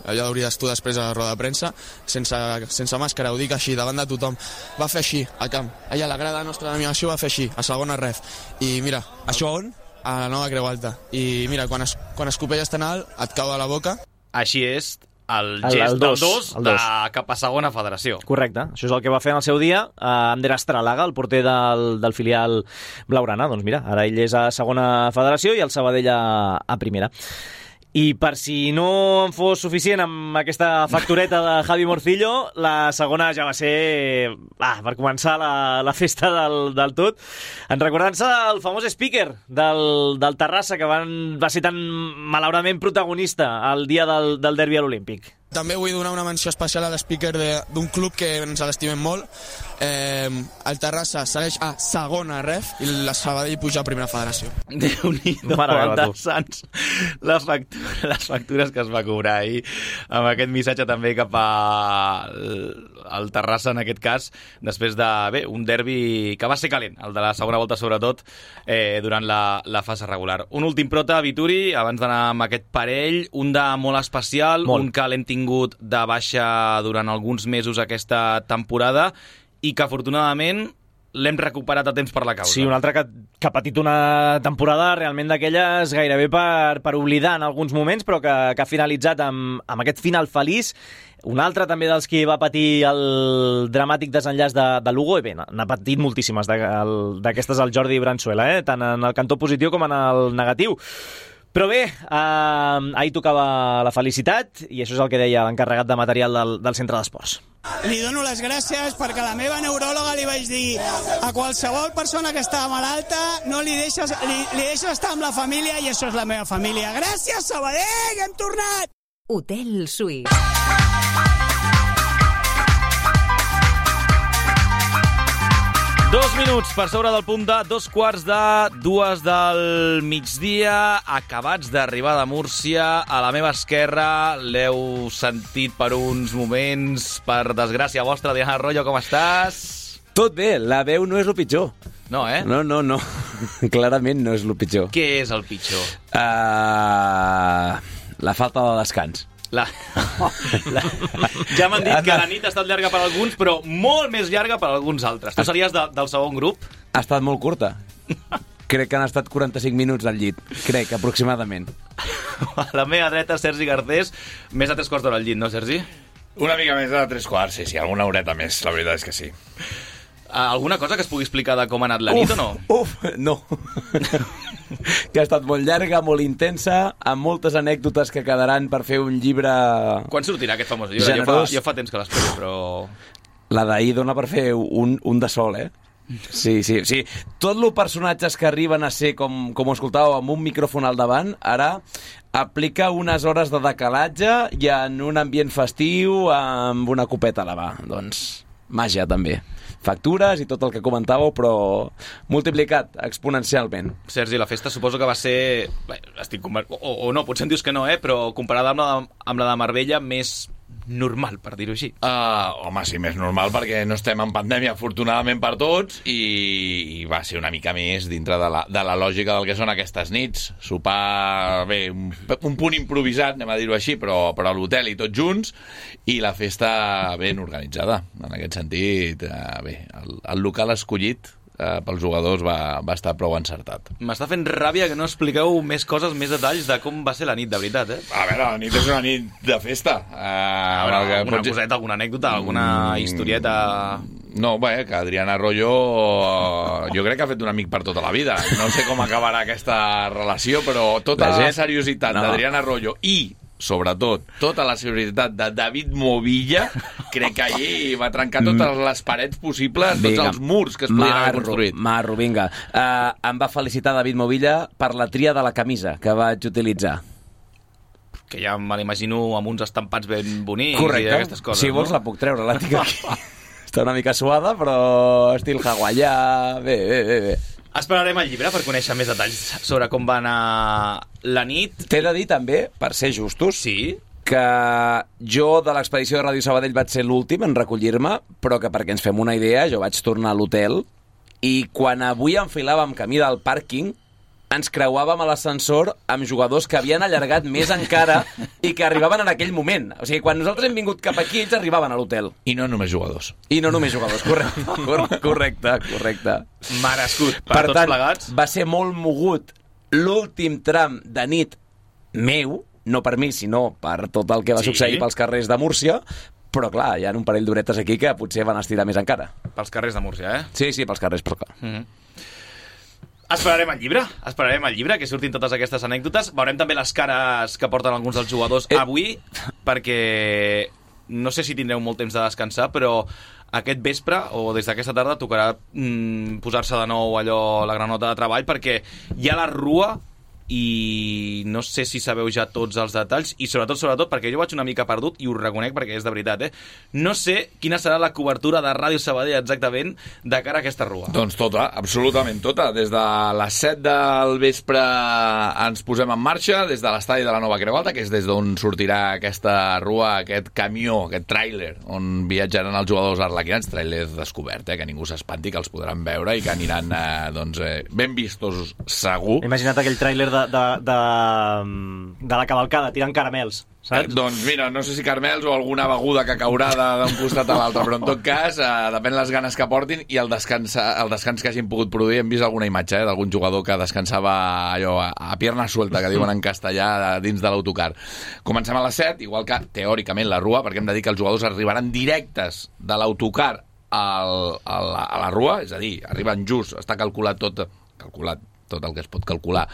I: Allò hauries tu després a la roda de premsa, sense, sense màscara, ho dic així, davant de tothom. Va fer així, al camp. Allà, la grada nostra d'animació va fer així, a segona ref. I mira...
D: Això on?
I: A la nova Creu Alta. I mira, quan, es, quan escopelles tan alt, et cau a la boca.
A: Així és el gest el, el dos, del dos, el dos. De cap a segona federació.
H: Correcte. Això és el que va fer en el seu dia eh, Ander Astràlaga, el porter del, del filial blaugrana. Doncs mira, ara ell és a segona federació i el Sabadell a, a primera. I per si no en fos suficient amb aquesta factureta de Javi Morcillo, la segona ja va ser, ah, per començar la, la festa del, del tot, en recordant-se del famós speaker del, del Terrassa, que van, va ser tan malauradament protagonista el dia del, del derbi a l'Olímpic.
I: També vull donar una menció especial a l'speaker d'un club que ens l'estimem molt. Eh, el Terrassa segueix a segona ref i la Sabadell puja a primera federació.
A: Déu-n'hi-do, el de Sants, la factura, les factures que es va cobrar ahir, amb aquest missatge també cap a el Terrassa, en aquest cas, després de, bé, un derbi que va ser calent, el de la segona volta sobretot, eh, durant la, la fase regular. Un últim prota, Vituri, abans d'anar amb aquest parell, un de molt especial, molt. Un que l'hem tingut de baixa durant alguns mesos aquesta temporada i que afortunadament l'hem recuperat a temps per la causa.
H: Sí, un altre que, que ha patit una temporada realment d'aquelles gairebé per, per oblidar en alguns moments, però que, que ha finalitzat amb, amb aquest final feliç. Un altre també dels que va patir el dramàtic desenllaç de, de Lugo, i bé, n'ha patit moltíssimes d'aquestes el Jordi Branzuela, eh? Tant en el cantó positiu com en el negatiu. Però bé, eh, ahir tocava la felicitat i això és el que deia l'encarregat de material del, del centre d'esports.
C: Li dono les gràcies perquè a la meva neuròloga li vaig dir a qualsevol persona que estava malalta no li deixes, li, li deixes estar amb la família i això és la meva família. Gràcies, Sabadell, hem tornat!
B: Hotel Suisse.
A: Dos minuts per sobre del punt de dos quarts de dues del migdia, acabats d'arribar de Múrcia. A la meva esquerra l'heu sentit per uns moments, per desgràcia vostra. Adrián Arroyo, com estàs?
K: Tot bé, la veu no és el pitjor.
A: No, eh?
K: No, no, no. Clarament no és el pitjor.
A: Què és el pitjor?
K: Uh, la falta de descans.
A: La... la... Ja m'han dit que la nit ha estat llarga per alguns, però molt més llarga per alguns altres. Tu series de, del segon grup?
K: Ha estat molt curta. Crec que han estat quaranta-cinc minuts al llit. Crec, aproximadament.
A: A la meva dreta, Sergi Garcés. Més de tres quarts d'hora al llit, no, Sergi?
L: Una mica més de tres quarts, sí, sí. Alguna horeta més, la veritat és que sí.
A: Alguna cosa que es pugui explicar de com ha anat la nit
K: uf,
A: o no?
K: Uf, no. Que ha estat molt llarga, molt intensa, amb moltes anècdotes que quedaran per fer un llibre...
A: Quan sortirà aquest famós llibre? Jo fa, jo fa temps que l'espero, però...
K: La d'ahir dona per fer un, un de sol, eh? Sí, sí, sí. Tot els personatges que arriben a ser, com, com ho escoltàveu, amb un micròfon al davant, ara aplica unes hores de decalatge i en un ambient festiu amb una copeta a la mà. Doncs màgia, també. Factures i tot el que comentàveu, però multiplicat exponencialment.
A: Sergi, la festa suposo que va ser... Bé, estic conver... o, o no, potser em dius que no, eh? Però comparada amb la, amb la de Marbella, més normal, per dir-ho així.
L: Uh, home, sí, més normal, perquè no estem en pandèmia, afortunadament per tots, i, i va ser una mica més dintre de la, de la lògica del que són aquestes nits. Sopar, bé, un, un punt improvisat, anem a dir-ho així, però, però a l'hotel i tots junts, i la festa ben organitzada. En aquest sentit, uh, bé, el, el local escollit eh, pels jugadors va, va estar prou encertat.
A: M'està fent ràbia que no expliqueu més coses, més detalls de com va ser la nit, de veritat, eh?
L: A veure, la nit és una nit de festa. Uh,
A: a veure, alguna pots... coseta, alguna anècdota, alguna historieta...
L: No, bé, que Adrián Arroyo jo crec que ha fet un amic per tota la vida. No sé com acabarà aquesta relació, però tota la, gent... la seriositat no. d'Adrián Arroyo i sobretot, tota la seriositat de David Movilla, crec que ahir va trencar totes les parets possibles, tots vinga. Els murs que es podien haver construït.
K: Marro, vinga. Uh, em va felicitar David Movilla per la tria de la camisa que vaig utilitzar.
A: Que ja me l'imagino amb uns estampats ben bonics.
K: Correcte.
A: I aquestes coses.
K: Si vols
A: no?
K: la puc treure, la tinc aquí. Està una mica suada, però estil hawaià. Bé, bé, bé, bé.
A: Esperarem el llibre per conèixer més detalls sobre com va anar la nit.
K: T'he de dir també, per ser justos,
A: sí?
K: que jo de l'expedició de Ràdio Sabadell vaig ser l'últim en recollir-me, però que perquè ens fem una idea, jo vaig tornar a l'hotel i quan avui enfilàvem camí del pàrquing ens creuàvem a l'ascensor amb jugadors que havien allargat més encara i que arribaven en aquell moment. O sigui, quan nosaltres hem vingut cap aquí, ells arribaven a l'hotel.
L: I no només jugadors.
K: I no només jugadors, correcte. Correcte, correcte.
A: Merescut per,
K: per
A: tots
K: tant,
A: plegats.
K: Va ser molt mogut l'últim tram de nit meu, no per mi, sinó per tot el que va sí. succeir pels carrers de Múrcia, però clar, hi ha un parell d'horetes aquí que potser van estirar més encara.
A: Pels carrers de Múrcia, eh?
K: Sí, sí, pels carrers, però clar.
A: Mm-hmm. Esperarem el llibre, esperarem el llibre, que surtin totes aquestes anècdotes. Veurem també les cares que porten alguns dels jugadors eh. avui, perquè no sé si tindreu molt temps de descansar, però aquest vespre o des d'aquesta tarda tocarà mm, posar-se de nou allò la granota de treball, perquè hi ha la rua i no sé si sabeu ja tots els detalls i sobretot, sobretot, perquè jo vaig una mica perdut i ho reconec perquè és de veritat, eh? No sé quina serà la cobertura de Ràdio Sabadell exactament de cara a aquesta rua.
L: Doncs tota, absolutament tota. Des de les set del vespre ens posem en marxa, des de l'estadi de la Nova Creu Alta, que és des d'on sortirà aquesta rua, aquest camió, aquest tràiler, on viatjaran els jugadors arlequinats, tràiler descobert, eh? Que ningú s'espanti, que els podran veure i que aniran eh, doncs, eh, ben vistos segur.
H: Imagina't aquell tràiler de, de, de, de la cavalcada tirant caramels, saps?
L: Eh, doncs mira, no sé si caramels o alguna beguda que caurà d'un costat a l'altre, però en tot cas eh, depèn les ganes que portin i el descans, el descans que hagin pogut produir. Hem vist alguna imatge eh, d'algun jugador que descansava allò a, a pierna suelta, que diuen en castellà, dins de l'autocar. Comencem a les set, igual que teòricament la rua, perquè hem de dir que els jugadors arribaran directes de l'autocar al, a, la, a la rua, és a dir, arriben just, està calculat tot, calculat tot el que es pot calcular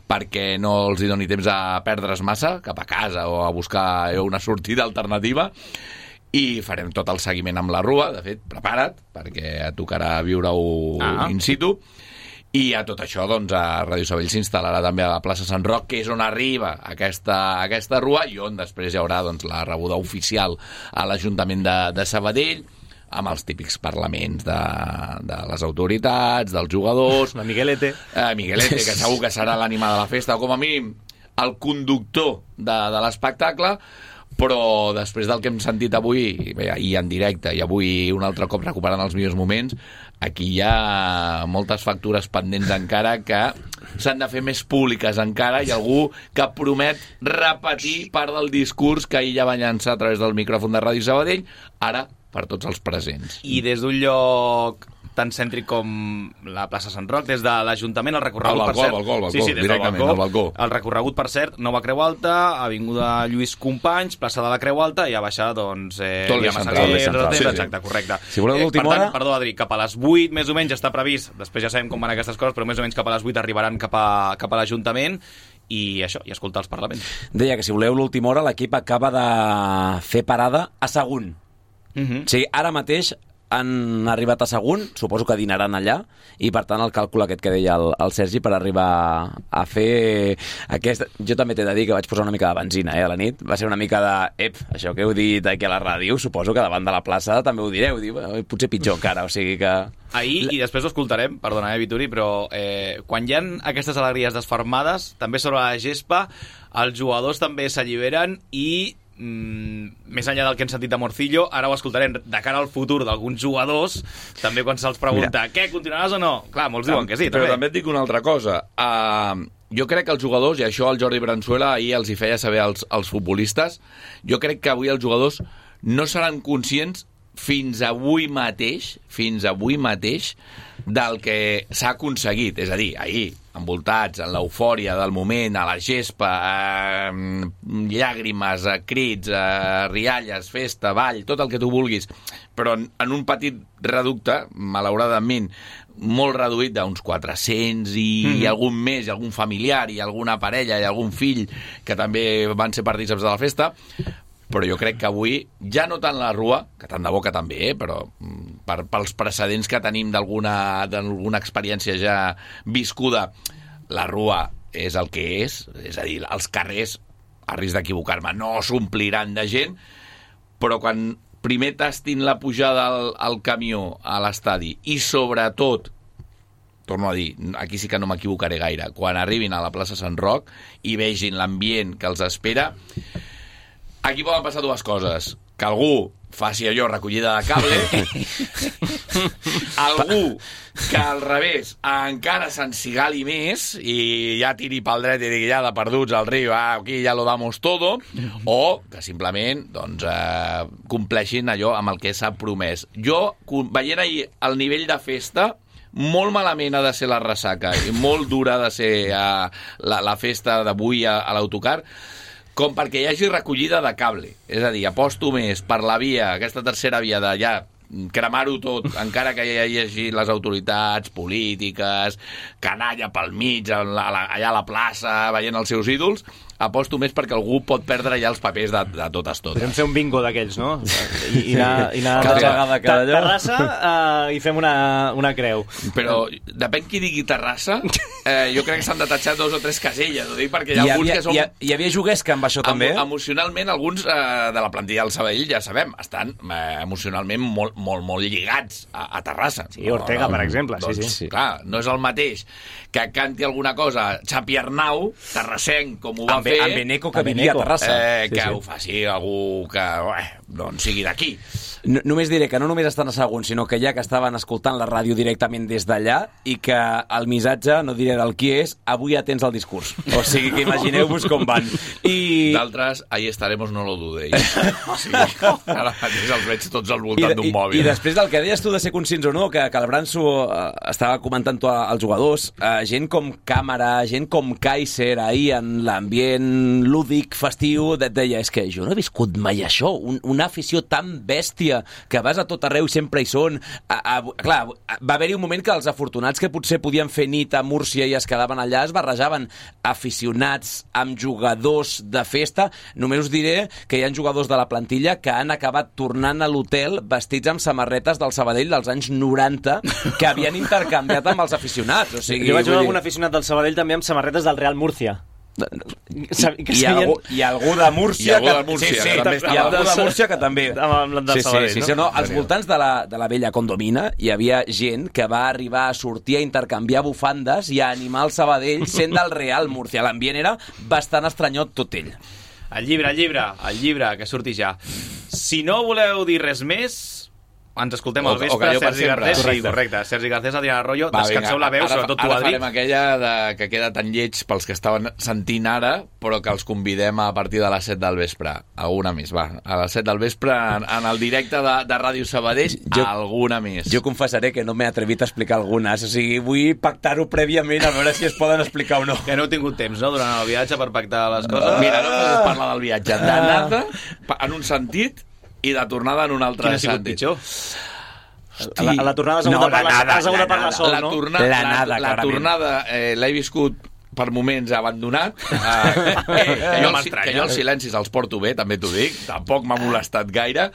L: perquè no els hi doni temps a perdre's massa cap a casa o a buscar una sortida alternativa, i farem tot el seguiment amb la rua. De fet, prepara't, perquè tocarà viure-ho ah. in situ. I a tot això, doncs, a Ràdio Sabadell s'instal·larà també a la plaça Sant Roc, que és on arriba aquesta, aquesta rua i on després hi haurà doncs, la rebuda oficial a l'Ajuntament de, de Sabadell, amb els típics parlaments de, de les autoritats, dels jugadors...
H: La Miguelete.
L: Eh, Miguelete, que segur que serà l'ànima de la festa, o com a mínim el conductor de, de l'espectacle, però després del que hem sentit avui, bé, i en directe, i avui un altre cop recuperant els millors moments, aquí hi ha moltes factures pendents encara que s'han de fer més públiques encara, i algú que promet repetir part del discurs que ahir ja va llançar a través del micròfon de Ràdio Sabadell, ara per tots els presents.
A: I des d'un lloc tan cèntric com la plaça Sant Roc, des de l'Ajuntament, el recorregut,
L: el balcó,
A: per cert...
L: El balcó, el balcó,
A: sí, sí, des
L: directament,
A: del balcó,
L: el balcó.
A: El recorregut, per cert, Nova Creu Alta, Avinguda Lluís Companys, plaça de la Creu Alta, i a baixar, doncs... Eh,
L: tot l'eix central.
A: Massaguer,
L: central.
A: sí,
L: Sí,
A: exacte,
L: sí.
A: correcte.
K: Si voleu l'última
A: eh, per tant,
K: hora...
A: Perdó, Adri, cap a les vuit, més o menys, està previst, després ja sabem com van aquestes coses, però més o menys cap a les vuit arribaran cap a, cap a l'Ajuntament, i això, i escoltar els parlaments.
K: Deia que si voleu l'última hora, l'equip acaba de fer parada a Sagunt.
A: Uh-huh.
K: O sigui, ara mateix han arribat a Sagunt, suposo que dinaran allà, i per tant el càlcul aquest que deia el, el Sergi per arribar a fer aquest... Jo també t'he de dir que vaig posar una mica de benzina eh, a la nit, va ser una mica de... Ep, això que heu dit aquí a la ràdio, suposo que davant de la plaça també ho direu, diu, potser pitjor encara, o sigui que...
A: Ahir, i després ho escoltarem, perdona, eh, Vituri, però eh, quan hi ha aquestes alegries desfermades, també sobre la gespa, els jugadors també s'alliberen i mm, més enllà del que hem sentit de Morcillo, ara ho escoltarem de cara al futur d'alguns jugadors, també quan se'ls pregunta, Mira. què, continuaràs o no? Clar, molts diuen que sí,
L: però
A: també.
L: també et dic una altra cosa. Uh, jo crec que els jugadors, i això el Jordi Branzuela ahir els hi feia saber als, als futbolistes, jo crec que avui els jugadors no seran conscients fins avui mateix, fins avui mateix, del que s'ha aconseguit. És a dir, ahir, envoltats en l'eufòria del moment, a la gespa, eh, llàgrimes, eh, crits, eh, rialles, festa, ball, tot el que tu vulguis, però en, en un petit reducte, malauradament, molt reduït d'uns quatre-cents i mm-hmm. algun més, i algun familiar, i alguna parella, i algun fill, que també van ser partícips de la festa, però jo crec que avui, ja no tant la Rua, que tant de bo que també, eh, però per, pels precedents que tenim d'alguna d'alguna experiència ja viscuda, la Rua és el que és, és a dir, els carrers, a risc d'equivocar-me, no s'ompliran de gent, però quan primer tastin la pujada al, al camió a l'estadi i sobretot, torno a dir, aquí sí que no m'equivocaré gaire, quan arribin a la plaça Sant Roc i vegin l'ambient que els espera, aquí poden passar dues coses. Que algú faci allò, recollida de cable, algú que al revés encara s'ensigali més i ja tiri pel dret i digui ja de perduts al riu, ah, aquí ja lo damos todo, o que simplement doncs, eh, compleixin allò amb el que s'ha promès. Jo, veient ahir el nivell de festa, molt malament ha de ser la ressaca i molt dura ha de ser eh, la, la festa d'avui a, a l'autocar, com perquè hi hagi recollida de cable. És a dir, aposto més per la via, aquesta tercera via de ja cremar-ho tot, encara que hi hagi les autoritats polítiques, canalla pel mig, allà a la plaça, veient els seus ídols, aposto més perquè algú pot perdre ja els papers de, de totes totes.
H: Podem fer un bingo d'aquells, no? I, i anar, i anar
K: cada vegada que allò...
H: Terrassa uh, i fem una, una creu.
L: Però depèn qui digui Terrassa, eh, jo crec que s'han de tatxar dos o tres caselles, ho dic perquè hi ha
K: hi
L: alguns
K: havia,
L: que són...
K: Hi, ha, hi havia juguesca amb això també?
L: Emo, emocionalment, alguns eh, de la plantilla del Sabadell, ja sabem, estan eh, emocionalment molt, molt, molt lligats a, a Terrassa.
H: Sí, Ortega, no, no, per exemple.
L: Doncs,
H: sí, sí.
L: Clar, no és el mateix que canti alguna cosa Xapi Arnau, terrassenc, com ho va
K: amb,
L: fer...
K: Amb Beneco, que vivia a Terrassa.
L: Eh,
K: sí,
L: que
K: sí.
L: ho faci algú que eh, doncs sigui d'aquí.
K: No, només diré que no només estan a Sagunt, sinó que ja que estaven escoltant la ràdio directament des d'allà i que el missatge, no diré del qui és, avui ja tens el discurs. O sigui que imagineu-vos com van. I...
L: D'altres, ahí estaremos, no lo dudéis. O sigui, ara mateix els veig tots al voltant d'un mòbil.
K: I després del que deies tu de ser conscients o no, que, que el Branso eh, estava comentant tu als jugadors, eh, gent com Càmera, gent com Kaiser, ahir en l'ambient lúdic, festiu, et deia, és que jo no he viscut mai això, un, una afició tan bèstia que vas a tot arreu i sempre hi són. A, a, clar, va haver-hi un moment que els afortunats que potser podien fer nit a Múrcia i es quedaven allà es barrejaven aficionats amb jugadors de festa. Només us diré que hi ha jugadors de la plantilla que han acabat tornant a l'hotel vestits amb samarretes del Sabadell dels anys noranta que havien intercanviat amb els aficionats. O sigui,
H: jo vaig veure
K: dir...
H: algun aficionat del Sabadell també amb samarretes del Real Murcia.
K: I, i, algú, i algú de Múrcia,
L: I algú de Múrcia,
K: que, sí, sí,
L: que també
K: i algú de Múrcia que també
H: amb el del Sabadell,
K: sí, sí, sí, no? Als voltants de la, de la vella Condomina hi havia gent que va arribar a sortir a intercanviar bufandes i a animar el Sabadell sent del Real Múrcia. L'ambient era bastant estranyot tot ell.
A: El llibre, el llibre, el llibre, que surti ja. Si no voleu dir res més, ens escoltem al
L: O- o
A: vespre,
L: Calló per
A: Sergi
L: sempre.
A: Garcés, sí,
L: Correcte.
A: correcte, Sergi Garcés, Adriana Arroyo,
L: Va,
A: descanseu
L: vinga,
A: la veu,
L: ara,
A: sobretot tu,
L: ara
A: Adri.
L: farem aquella de, que queda tan lleig pels que estaven sentint ara, però que els convidem a partir de les set del vespre. Alguna més, va. A les set del vespre, en, en el directe de, de Ràdio Sabadell,
K: Jo-
L: alguna més.
K: Jo confessaré que no m'he atrevit a explicar algunes, o sigui, vull pactar-ho prèviament a veure si es poden explicar o no.
A: Que no heu tingut temps, no?, durant el viatge per pactar les coses.
L: Mira, no es parla del viatge d'anada en un sentit i de tornada en un altre
A: Quin ha sigut
L: sentit.
A: pitjor?
H: A la, a la tornada has hagut
L: No,
H: de parlar,
L: la nada,
H: has hagut de
L: la
H: parlar
L: nada.
H: sol,
L: la
H: no?
L: Tornada,
K: La
L: la,
K: nada,
L: la, la
K: clarament.
L: tornada eh, l'he viscut per moments abandonat. Eh, eh, que,
A: No
L: jo,
A: m'estranya.
L: que jo els silencis els porto bé, també t'ho dic. Tampoc m'ha molestat gaire.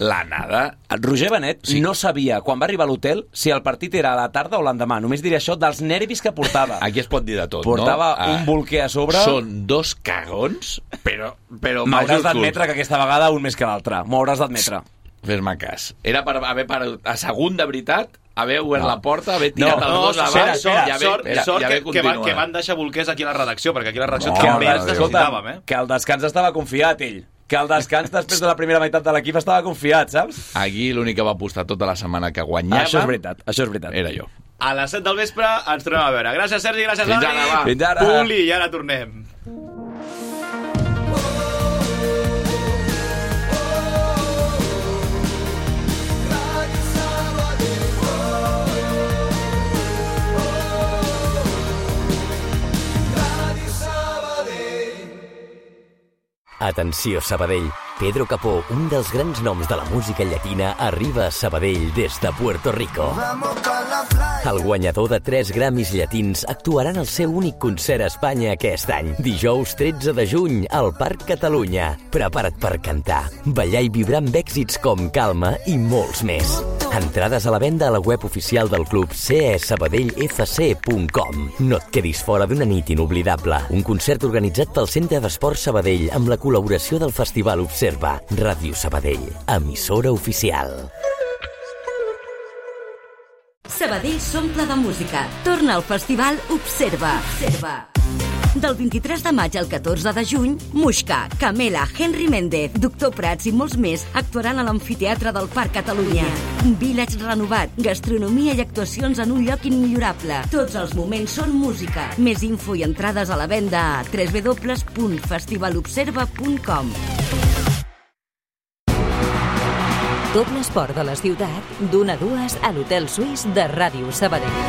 L: La nada.
K: El Roger Benet sí. no sabia, quan va arribar a l'hotel, si el partit era a la tarda o l'endemà. Només diré això dels nervis que portava.
L: Aquí es pot dir de tot,
K: Portava
L: no?
K: un bolquer a sobre.
L: Són dos cagons, però, però
K: M'hauràs
L: majúsculs.
K: d'admetre que aquesta vegada un més que l'altre. M'ho hauràs d'admetre.
L: Fes-me cas. Era per haver parat a segon de veritat, haver obert
K: No.
L: la porta, haver tirat
K: No,
L: els
A: No,
L: dos
A: sort,
L: abans
A: sort,
L: i haver,
A: sort,
L: i
A: sort
L: haver
A: que, que, van,
L: continuat.
A: que van deixar bolquers aquí a la redacció, perquè aquí a la redacció
L: No,
A: també
L: mare
A: ens
L: de Déu.
A: necessitàvem, eh?
K: que el descans estava confiat, ell. Que el descans després de la primera meitat de l'equip estava confiat, saps?
L: Aquí l'únic que va apostar tota la setmana que guanyava
K: Això és veritat, això és veritat.
L: era jo.
A: A les set del vespre ens tornem a veure. Gràcies, Sergi, gràcies,
L: Fins
A: Adri.
L: ara, va.
K: Fins ara.
A: Puli, i ara tornem.
M: Atenció, Sabadell. Pedro Capó, un dels grans noms de la música llatina, arriba a Sabadell des de Puerto Rico. El guanyador de tres Grammys llatins actuarà en el seu únic concert a Espanya aquest any. Dijous tretze de juny, al Parc Catalunya. Prepara't per cantar, ballar i vibrar amb èxits com Calma i molts més. Entrades a la venda a la web oficial del club c e sabadell f c punt com. No et quedis fora d'una nit inoblidable. Un concert organitzat pel Centre d'Esport Sabadell amb la col·laboració del Festival Observa. Ràdio Sabadell, emissora oficial.
N: Sabadell s'omple de música. Torna al festival Observa. Observa. Del vint-i-tres de maig al catorze de juny, Muixca, Camela, Henry Méndez, Doctor Prats i molts més actuaran a l'amfiteatre del Parc Catalunya. Village renovat, gastronomia i actuacions en un lloc immillorable. Tots els moments són música. Més info i entrades a la venda a w w w punt festivalobserva punt com.
B: Tot l'esport de la ciutat, d'una a dues a l'Hotel Suís de Ràdio Sabadell.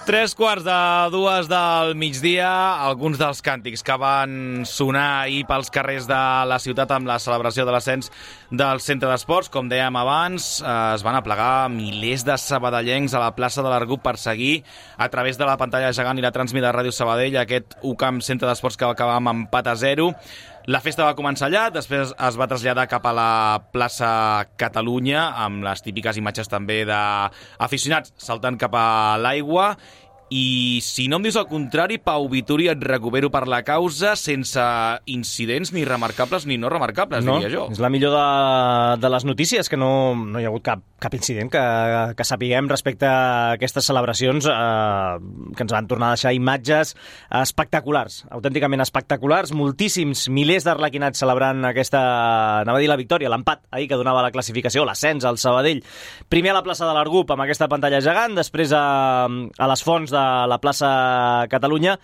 A: Tres quarts de dues del migdia, alguns dels càntics que van sonar ahir pels carrers de la ciutat amb la celebració de l'ascens del centre d'esports. Com dèiem abans, es van aplegar milers de sabadellencs a la plaça de l'Argup per seguir a través de la pantalla gegant i la transmida de Ràdio Sabadell aquest U C A M centre d'esports que va acabar amb empat a zero. La festa va començar allà, després es va traslladar cap a la plaça Catalunya, amb les típiques imatges també d'aficionats saltant cap a l'aigua. I si no em dius el contrari, Pau Vituri, et recupero per la causa sense incidents ni remarcables ni no remarcables,
H: no,
A: diria jo.
H: És la millor de, de les notícies, que no, no hi ha hagut cap, cap incident que, que sapiguem respecte a aquestes celebracions eh, que ens van tornar a deixar imatges espectaculars, autènticament espectaculars, moltíssims, milers d'arlequinats celebrant aquesta, anava a dir la victòria, l'empat ahir que donava la classificació, l'ascens al Sabadell. Primer a la plaça de l'Argup amb aquesta pantalla gegant, després a, a les fonts de la plaça Catalunya.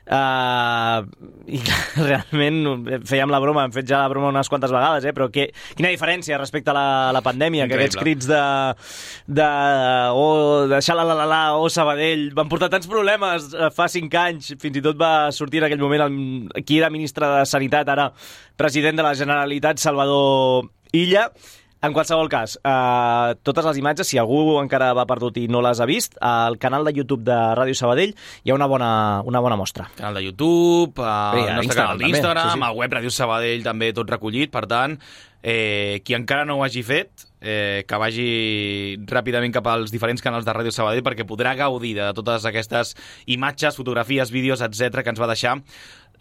H: Uh, i realment fèiem la broma, hem fet ja la broma unes quantes vegades, eh? Però que, quina diferència respecte a la, la pandèmia. Increïble. Que aquests crits de, de oh, de xalalalala, oh Sabadell, van portar tants problemes fa cinc anys, fins i tot va sortir en aquell moment el, qui era ministre de Sanitat, ara president de la Generalitat, Salvador Illa. En qualsevol cas, eh, totes les imatges, si algú encara va perdut i no les ha vist, al canal de YouTube de Ràdio Sabadell hi ha una bona, una bona mostra.
A: Canal de YouTube, el
H: Bé,
A: nostre canal d'Instagram,
H: sí, sí.
A: el web Ràdio Sabadell també tot recollit, per tant, eh, qui encara no ho hagi fet, eh, que vagi ràpidament cap als diferents canals de Ràdio Sabadell perquè podrà gaudir de totes aquestes imatges, fotografies, vídeos, etcètera que ens va deixar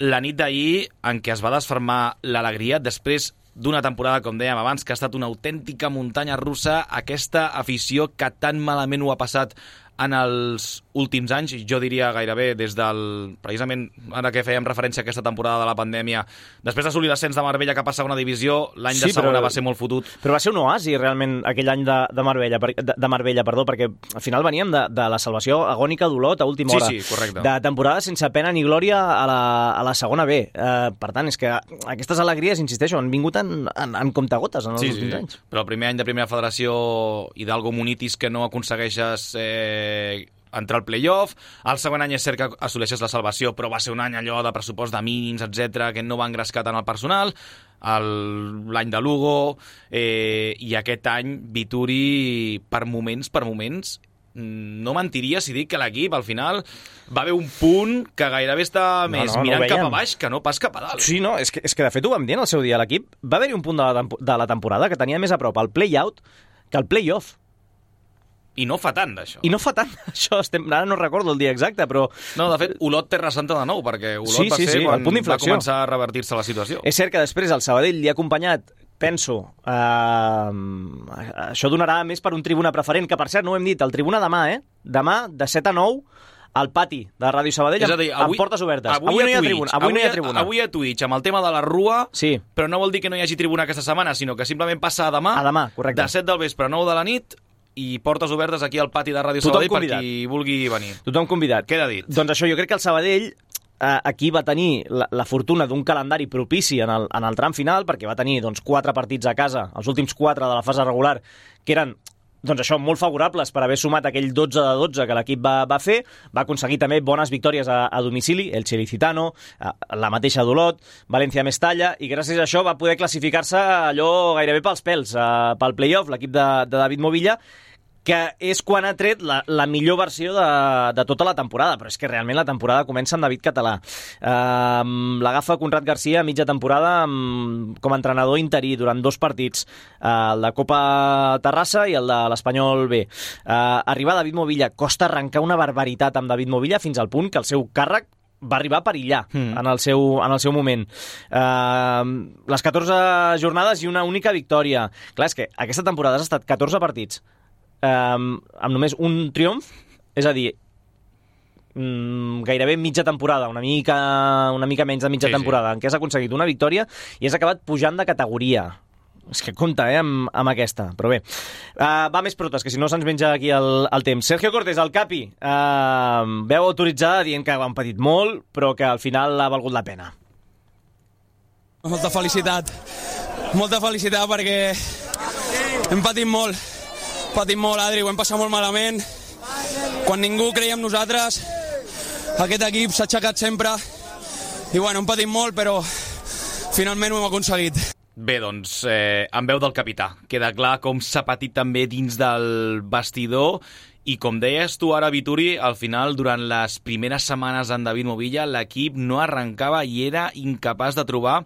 A: la nit d'ahir en què es va desfermar l'alegria després d'una temporada, com dèiem abans, que ha estat una autèntica muntanya russa, aquesta afició que tan malament ho ha passat en els últims anys, jo diria gairebé des del... precisament ara que fèiem referència a aquesta temporada de la pandèmia, després d'assolir l'ascens de Marbella cap a segona divisió, l'any
H: Sí,
A: de segona
H: però-
A: va ser molt fotut.
H: Però va ser un oasi, realment, aquell any de, de, Marbella, per- de, de Marbella, perdó, perquè al final veníem de, de la salvació agònica d'Olot a última
A: Sí,
H: hora.
A: sí, correcte.
H: De temporada sense pena ni glòria a la, a la segona B. Eh, per tant, és que aquestes alegries, insisteixo, han vingut en, en, en comptagotes en els
A: Sí, sí,
H: últims
A: sí.
H: anys.
A: Però el primer any de primera federació Hidalgo Munitis que no aconsegueixes eh, entrar al play-off, el segon any és cert que assoleixes la salvació, però va ser un any allò de pressupost de mínims, etcètera, que no va engrescar tant el personal, el- l'any de Lugo, eh, i aquest any Vituri, per moments, per moments, no mentiria si dic que l'equip al final va haver un punt que gairebé està
H: No,
A: més
H: no, no
A: mirant
H: ho
A: cap a
H: veiem.
A: baix que no pas cap a dalt.
H: Sí, no, és que, és que de fet ho vam dir en el seu dia. L'equip va haver-hi un punt de la, tempo- de la temporada que tenia més a prop el play-out que el play-off.
A: I no fa tant, d'això.
H: I no fa tant, això. Estem, ara no recordo el dia exacte, però...
A: No, de fet, Olot Terra Santa de nou, perquè Olot
H: Sí,
A: va
H: sí,
A: ser
H: sí,
A: quan
H: el punt
A: va
H: d'inflexió.
A: començar a revertir-se la situació.
H: És cert que després el Sabadell li ha acompanyat, penso, eh, això donarà més per un tribuna preferent, que per cert, no ho hem dit, el tribuna demà, eh? Demà, de set a nou, al pati de Ràdio Sabadell,
A: És a dir,
H: amb, amb portes obertes. Avui, avui no hi ha tribuna. Avui, no hi ha tribuna.
A: Avui a Twitch, amb el tema de la Rua,
H: sí.
A: però no vol dir que no hi hagi tribuna aquesta setmana, sinó que simplement passa a demà,
H: A demà, correcte.
A: de set del vespre a nou de la nit, i portes obertes aquí al pati de Ràdio
H: Tothom
A: Sabadell per
H: convidat.
A: qui vulgui venir.
H: Tothom convidat.
A: Queda dit.
H: Doncs això, jo crec que el Sabadell eh, aquí va tenir la, la fortuna d'un calendari propici en el, en el tram final, perquè va tenir doncs, quatre partits a casa, els últims quatre de la fase regular, que eren doncs això, molt favorables per haver sumat aquell dotze de dotze que l'equip va, va fer. Va aconseguir també bones victòries a, a domicili, el Licitano, la mateixa d'Olot, València-Mestalla, i gràcies a això va poder classificar-se allò gairebé pels pèls, eh, pel play-off, l'equip de, de David Movilla, que és quan ha tret la, la millor versió de, de tota la temporada, però és que realment la temporada comença amb David Català. Uh, L'agafa Conrad Garcia a mitja temporada amb, com a entrenador interí durant dos partits, uh, el de Copa Terrassa i el de l'Espanyol B. Uh, arribar David Movilla, costa arrencar una barbaritat amb David Movilla fins al punt que el seu càrrec va arribar a perillar mm. en, el seu, en el seu moment. Uh, les catorze jornades i una única victòria. Clar, és que aquesta temporada has estat catorze partits Um, amb només un triomf, és a dir, um, gairebé mitja temporada, una mica, una mica menys de mitja
A: Sí,
H: temporada, en què has aconseguit una victòria i has acabat pujant de categoria. És que compta, eh, amb, amb aquesta. Però bé, uh, va més protes, que si no se'ns menja aquí el, el temps. Sergio Cortés, el Capi, uh, veu autoritzada dient que han patit molt, però que al final ha valgut la pena.
F: Molta felicitat. Molta felicitat perquè hem patit molt. Patim molt, Adri, ho hem passat molt malament. Quan ningú creia en nosaltres, aquest equip s'ha aixecat sempre. I bueno, hem patit molt, però finalment ho hem aconseguit.
A: Bé, doncs, eh, en veu del capità. Queda clar com s'ha patit també dins del vestidor. I com deies tu ara, Vituri, al final, durant les primeres setmanes en David Movilla, l'equip no arrencava i era incapaç de trobar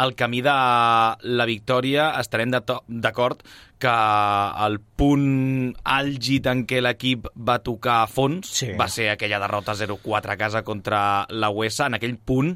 A: el camí de la victòria. Estarem d'acord que el punt àlgid en què l'equip va tocar a fons sí. va ser aquella derrota zero quatre a casa contra la U E S A. En aquell punt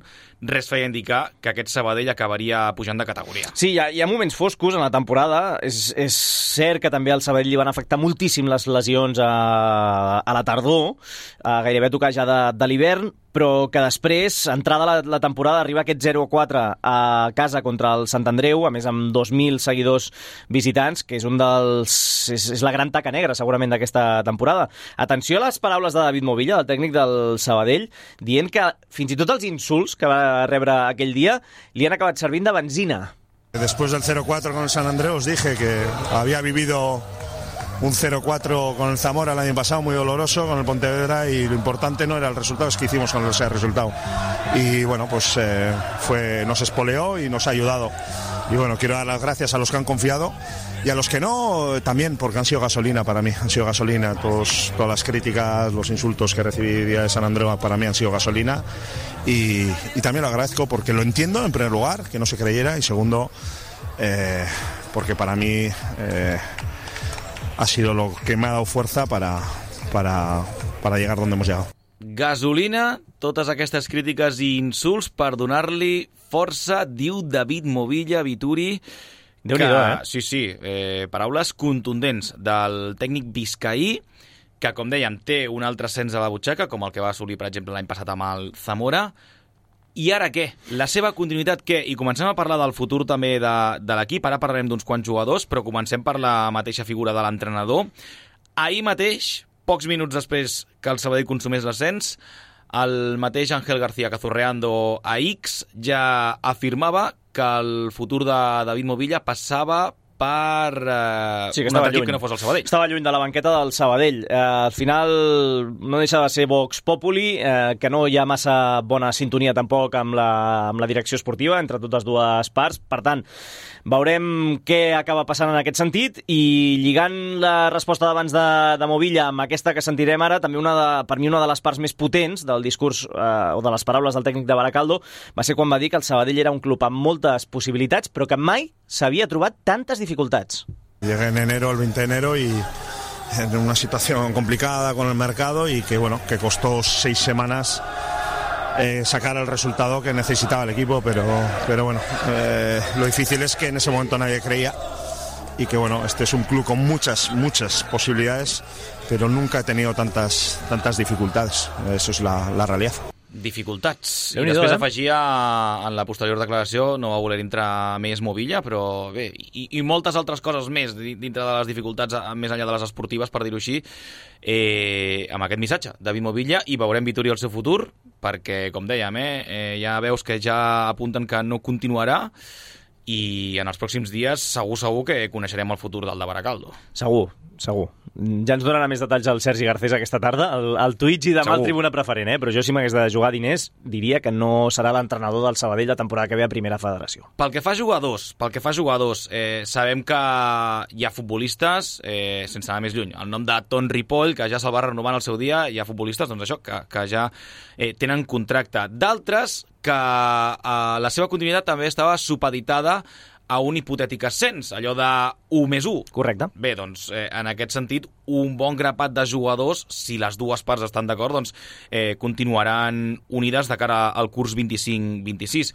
A: res feia indicar que aquest Sabadell acabaria pujant de categoria.
H: Sí, hi ha, hi ha moments foscos en la temporada. És, és cert que també al Sabadell li van afectar moltíssim les lesions a, a la tardor, a gairebé tocar ja de, de l'hivern, però que després, entrada la, la temporada, arriba aquest zero a quatre a casa contra el Sant Andreu, a més amb dos mil seguidors visitants, que és un dels... és, és la gran taca negra, segurament, d'aquesta temporada. Atenció a les paraules de David Movilla, el tècnic del Sabadell, dient que fins i tot els insults que va rebre aquell dia li han acabat servint de benzina.
E: Después del cero cuatro con el San Andreu os dije que había vivido un cero cuatro con el Zamora el año pasado, muy doloroso, con el Pontevedra, y lo importante no era el resultado, es que hicimos con ese resultado. Y bueno, pues eh, fue, nos espoleó y nos ha ayudado y bueno, quiero dar las gracias a los que han confiado y a los que no también, porque han sido gasolina para mí, han sido gasolina. Todos, todas las críticas, los insultos que recibí día de San Andreu para mí han sido gasolina y, y también lo agradezco porque lo entiendo en primer lugar, que no se creyera, y segundo, eh, porque para mí eh, ha sido lo que me ha dado fuerza para, para, para llegar donde hemos llegado.
A: Gasolina, totes aquestes crítiques i insults per donar-li força, diu David Movilla Vituri.
H: Déu-n'hi-do, eh?
A: Sí, sí, eh, paraules contundents del tècnic biscaí, que, com dèiem, té un altre ascens a la butxaca, com el que va assolir, per exemple, l'any passat amb el Zamora. I ara què? La seva continuïtat què? I comencem a parlar del futur també de, de l'equip. Ara parlarem d'uns quants jugadors, però comencem per la mateixa figura de l'entrenador. Ahir mateix, pocs minuts després que el Sabadell consumés l'ascens, el mateix Ángel García Cazurreando a X ja afirmava que el futur de David Movilla passava per eh,
H: sí,
A: un altre equip que no fos el Sabadell.
H: Estava lluny de la banqueta del Sabadell. Eh, al final no deixa de ser Vox Populi, eh, que no hi ha massa bona sintonia tampoc amb la, amb la direcció esportiva entre totes dues parts. Per tant, veurem què acaba passant en aquest sentit i lligant la resposta d'abans de, de Movilla amb aquesta que sentirem ara, també una de, per mi una de les parts més potents del discurs eh, o de les paraules del tècnic de Baracaldo va ser quan va dir que el Sabadell era un club amb moltes possibilitats però que mai s'havia trobat tantes dificultats.
E: Llegué en enero, el veinte de enero, y en una situación complicada con el mercado y que bueno, que costó seis semanas eh, sacar el resultado que necesitaba el equipo, pero, pero bueno, eh, lo difícil es que en ese momento nadie creía y que bueno, este es un club con muchas, muchas posibilidades, pero nunca he tenido tantas, tantas dificultades, eso es la, la realidad.
A: Dificultats. I després eh? afegia en la posterior declaració, no va voler entrar més Movilla, però bé, i, i moltes altres coses més dintre de les dificultats, més enllà de les esportives, per dir-ho així, eh, amb aquest missatge, David Movilla, i veurem Vituri el seu futur, perquè, com dèiem, eh, eh, ja veus que ja apunten que no continuarà, i en els pròxims dies segur, segur que coneixerem el futur del de Baracaldo.
H: Segur, segur. Ja ens donarà més detalls el Sergi Garcés aquesta tarda, el, el Twitch i demà el Tribuna Preferent, eh? Però jo si m'hagués de jugar diners diria que no serà l'entrenador del Sabadell la temporada que ve a Primera Federació.
A: Pel que fa a jugadors, pel que fa a jugadors eh, sabem que hi ha futbolistes, eh, sense anar més lluny, el nom de Ton Ripoll, que ja se'l va renovar en el seu dia, hi ha futbolistes doncs això, que, que ja eh, tenen contracte. D'altres que eh, la seva continuïtat també estava supeditada a un hipotètic ascens, allò de u més u.
H: Correcte.
A: Bé, doncs, eh, en aquest sentit, un bon grapat de jugadors, si les dues parts estan d'acord, doncs eh, continuaran unides de cara al curs vint-i-cinc vint-i-sis.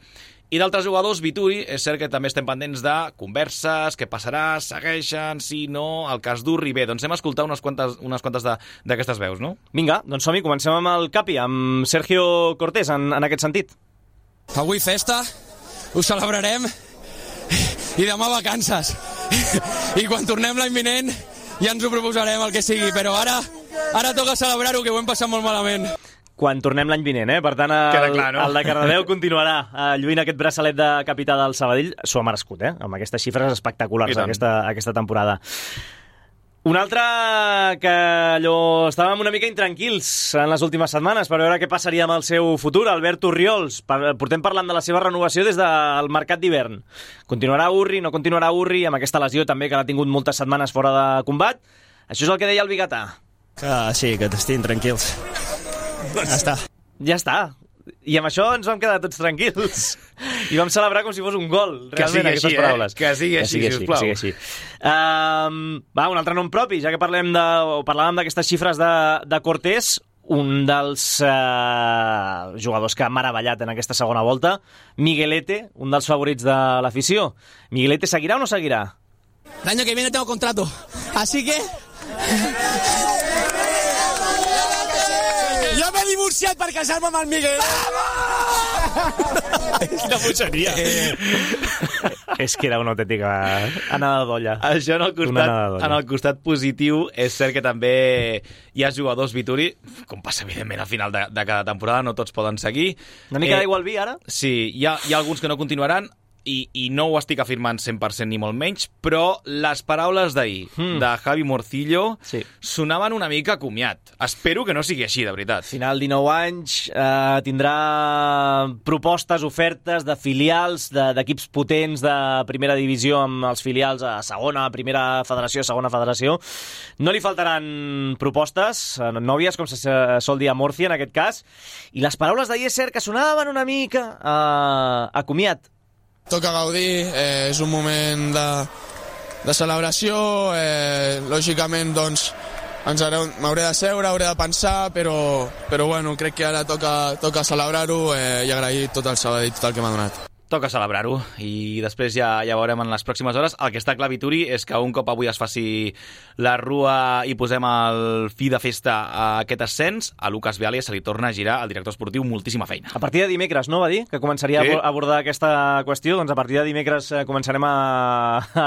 A: I d'altres jugadors, Vituri, és cert que també estem pendents de converses, què passarà, segueixen, si no, el cas d'Urri. Bé, doncs hem escoltat unes quantes, unes quantes d'aquestes veus, no?
H: Vinga, doncs som-hi, comencem amb el Capi, amb Sergio Cortés, en, en aquest sentit.
F: Avui festa, ho celebrarem, i demà vacances. I quan tornem l'any vinent ja ens ho proposarem el que sigui, però ara ara toca celebrar-ho, que ho hem passat molt malament.
H: Quan tornem l'any vinent, eh? Per tant, el, clar, no? el de Cardedeu continuarà eh, lluint aquest braçalet de capità del Sabadell. S'ho ha merescut, eh? Amb aquestes xifres espectaculars aquesta, aquesta temporada. Un altre que allò estàvem una mica intranquils en les últimes setmanes per veure què passaria amb el seu futur, Albert Urriols. Portem parlant de la seva renovació des del mercat d'hivern. Continuarà Urri, no continuarà Urri, amb aquesta lesió també que l'ha tingut moltes setmanes fora de combat. Això és el que deia el Biguetà.
O: Que sí, que t'estin tranquils. Ja està.
H: Ja està. I amb això ens vam quedar tots tranquils. I vam celebrar com si fos un gol, realment, aquestes
A: així,
H: paraules.
A: Eh? Que sigui així,
H: que sigui
A: sisplau.
H: Que sigui així. Um, va, un altre nom propi, ja que parlem de, o parlàvem d'aquestes xifres de, de Cortés, un dels uh, jugadors que ha meravellat en aquesta segona volta, Miguelete, un dels favorits de l'afició. Miguelete seguirà o no seguirà?
C: El año que viene tengo contrato, así que... Jo m'he divorciat per casar-me amb el Miguel.
H: Quina bogeria. Eh, és que era una autèntica anada d'olla.
A: Això en el, costat, en el costat positiu és cert que també hi ha jugadors Vituri, com passa evidentment al final de, de cada temporada, no tots poden seguir.
H: Una mica
A: eh,
H: d'aigua al vi, ara?
A: Sí, hi ha, hi ha alguns que no continuaran. i, i no ho estic afirmant cent per cent ni molt menys, però les paraules d'ahir mm. de Javi Morcillo sí. sonaven una mica comiat. Espero que no sigui així, de veritat.
H: Final dinou anys, eh, tindrà propostes, ofertes de filials, d'equips de, potents de primera divisió amb els filials a segona, primera federació, segona federació. No li faltaran propostes, nòvies, com se sol dir a Morci en aquest cas, i les paraules d'ahir és cert que sonaven una mica eh, a comiat.
F: Toca gaudir, eh, és un moment de, de celebració, eh, lògicament doncs m'hauré de seure, hauré de pensar, però, però bueno, crec que ara toca, toca celebrar-ho eh, i agrair tot el Sabadell, tot el que m'ha donat.
A: Toca celebrar-ho i després ja, ja veurem en les pròximes hores. El que està clar, Vituri, és que un cop avui es faci la rua i posem el fi de festa a aquest ascens, a Lucas Viale se li torna a girar al director esportiu moltíssima feina.
H: A partir de dimecres, no, va dir? Que començaria sí. a abordar aquesta qüestió. Doncs a partir de dimecres començarem a,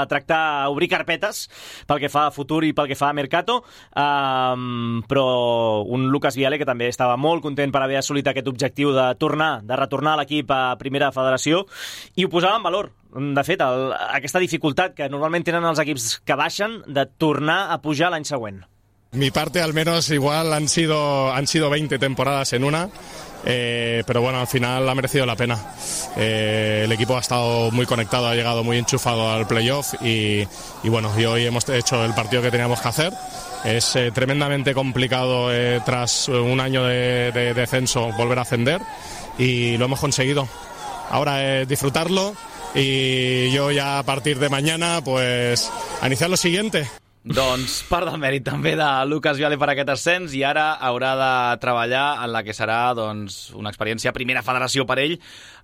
H: a tractar, a obrir carpetes pel que fa a futur i pel que fa a Mercato, um, però un Lucas Viale que també estava molt content per haver assolit aquest objectiu de tornar, de retornar l'equip a primera federació, i ho posava en valor. De fet, el, aquesta dificultat que normalment tenen els equips que baixen de tornar a pujar l'any següent.
P: Mi parte al menos igual han sido, han sido veinte temporadas en una, eh, pero bueno, al final ha merecido la pena. Eh, el equipo ha estado muy conectado, ha llegado muy enchufado al playoff y, y bueno, y hoy hemos hecho el partido que teníamos que hacer. Es eh, tremendamente complicado eh, tras un año de, de descenso volver a ascender y lo hemos conseguido. Ahora es disfrutarlo y yo ya a partir de mañana pues a iniciar lo siguiente.
A: Doncs part del mèrit també de Lucas Viale per aquest ascens i ara haurà de treballar en la que serà doncs, una experiència primera federació per ell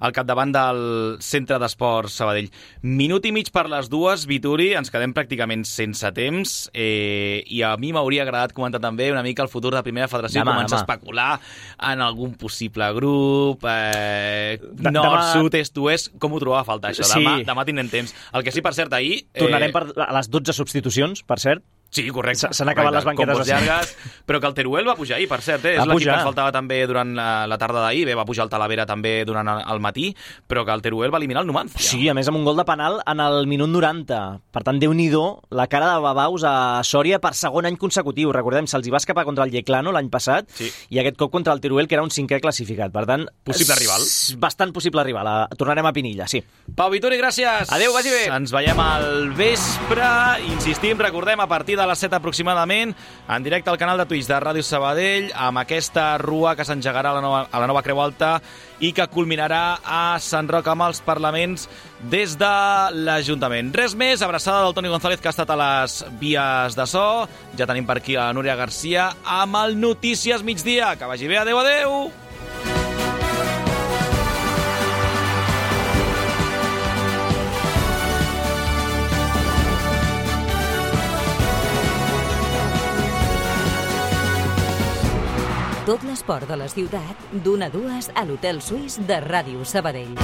A: al capdavant del Centre d'Esports Sabadell. Minut i mig per les dues, Vituri, ens quedem pràcticament sense temps eh, i a mi m'hauria agradat comentar també una mica el futur de primera federació, demà, començar demà. a especular en algun possible grup, eh, nord, demà... sud, est, oest, com ho trobava a faltar això? Demà, sí. demà tindrem temps. El que sí, per cert, ahir...
H: Eh... Tornarem per a les dotze substitucions, per cert.
A: Sí, correcte.
H: S'han acabat les banquetes
A: llargues, però que el Teruel va pujar ahir, per cert, eh? és l'equip que ens faltava també durant la, la tarda d'ahir, bé, va pujar el Talavera també durant el, el matí, però que el Teruel va eliminar el Numancia.
H: Sí, a més amb un gol de penal en el minut noranta. Per tant, Déu-n'hi-do, la cara de Babaus a Sòria per segon any consecutiu. Recordem, se'ls hi va escapar contra el Yeclano l'any passat sí. i aquest cop contra el Teruel, que era un cinquè classificat. Per tant,
A: possible rival.
H: Bastant possible rival. Tornarem a Pinilla, sí.
A: Pau Vituri, gràcies.
H: Adéu, vagi bé.
A: Ens veiem al vespre. Insistim, recordem, a partir de les set aproximadament en directe al canal de Twitch de Ràdio Sabadell amb aquesta rua que s'engegarà a, la nova, a la nova Creu Alta i que culminarà a Sant Roc amb els parlaments des de l'Ajuntament. Res més, abraçada del Toni González que ha estat a les vies de so. Ja tenim per aquí a Núria Garcia amb el Notícies Migdia. Que vagi bé, adeu, adeu!
B: Tot l'esport de la ciutat, d'una a dues a l'Hotel Suís de Ràdio Sabadell.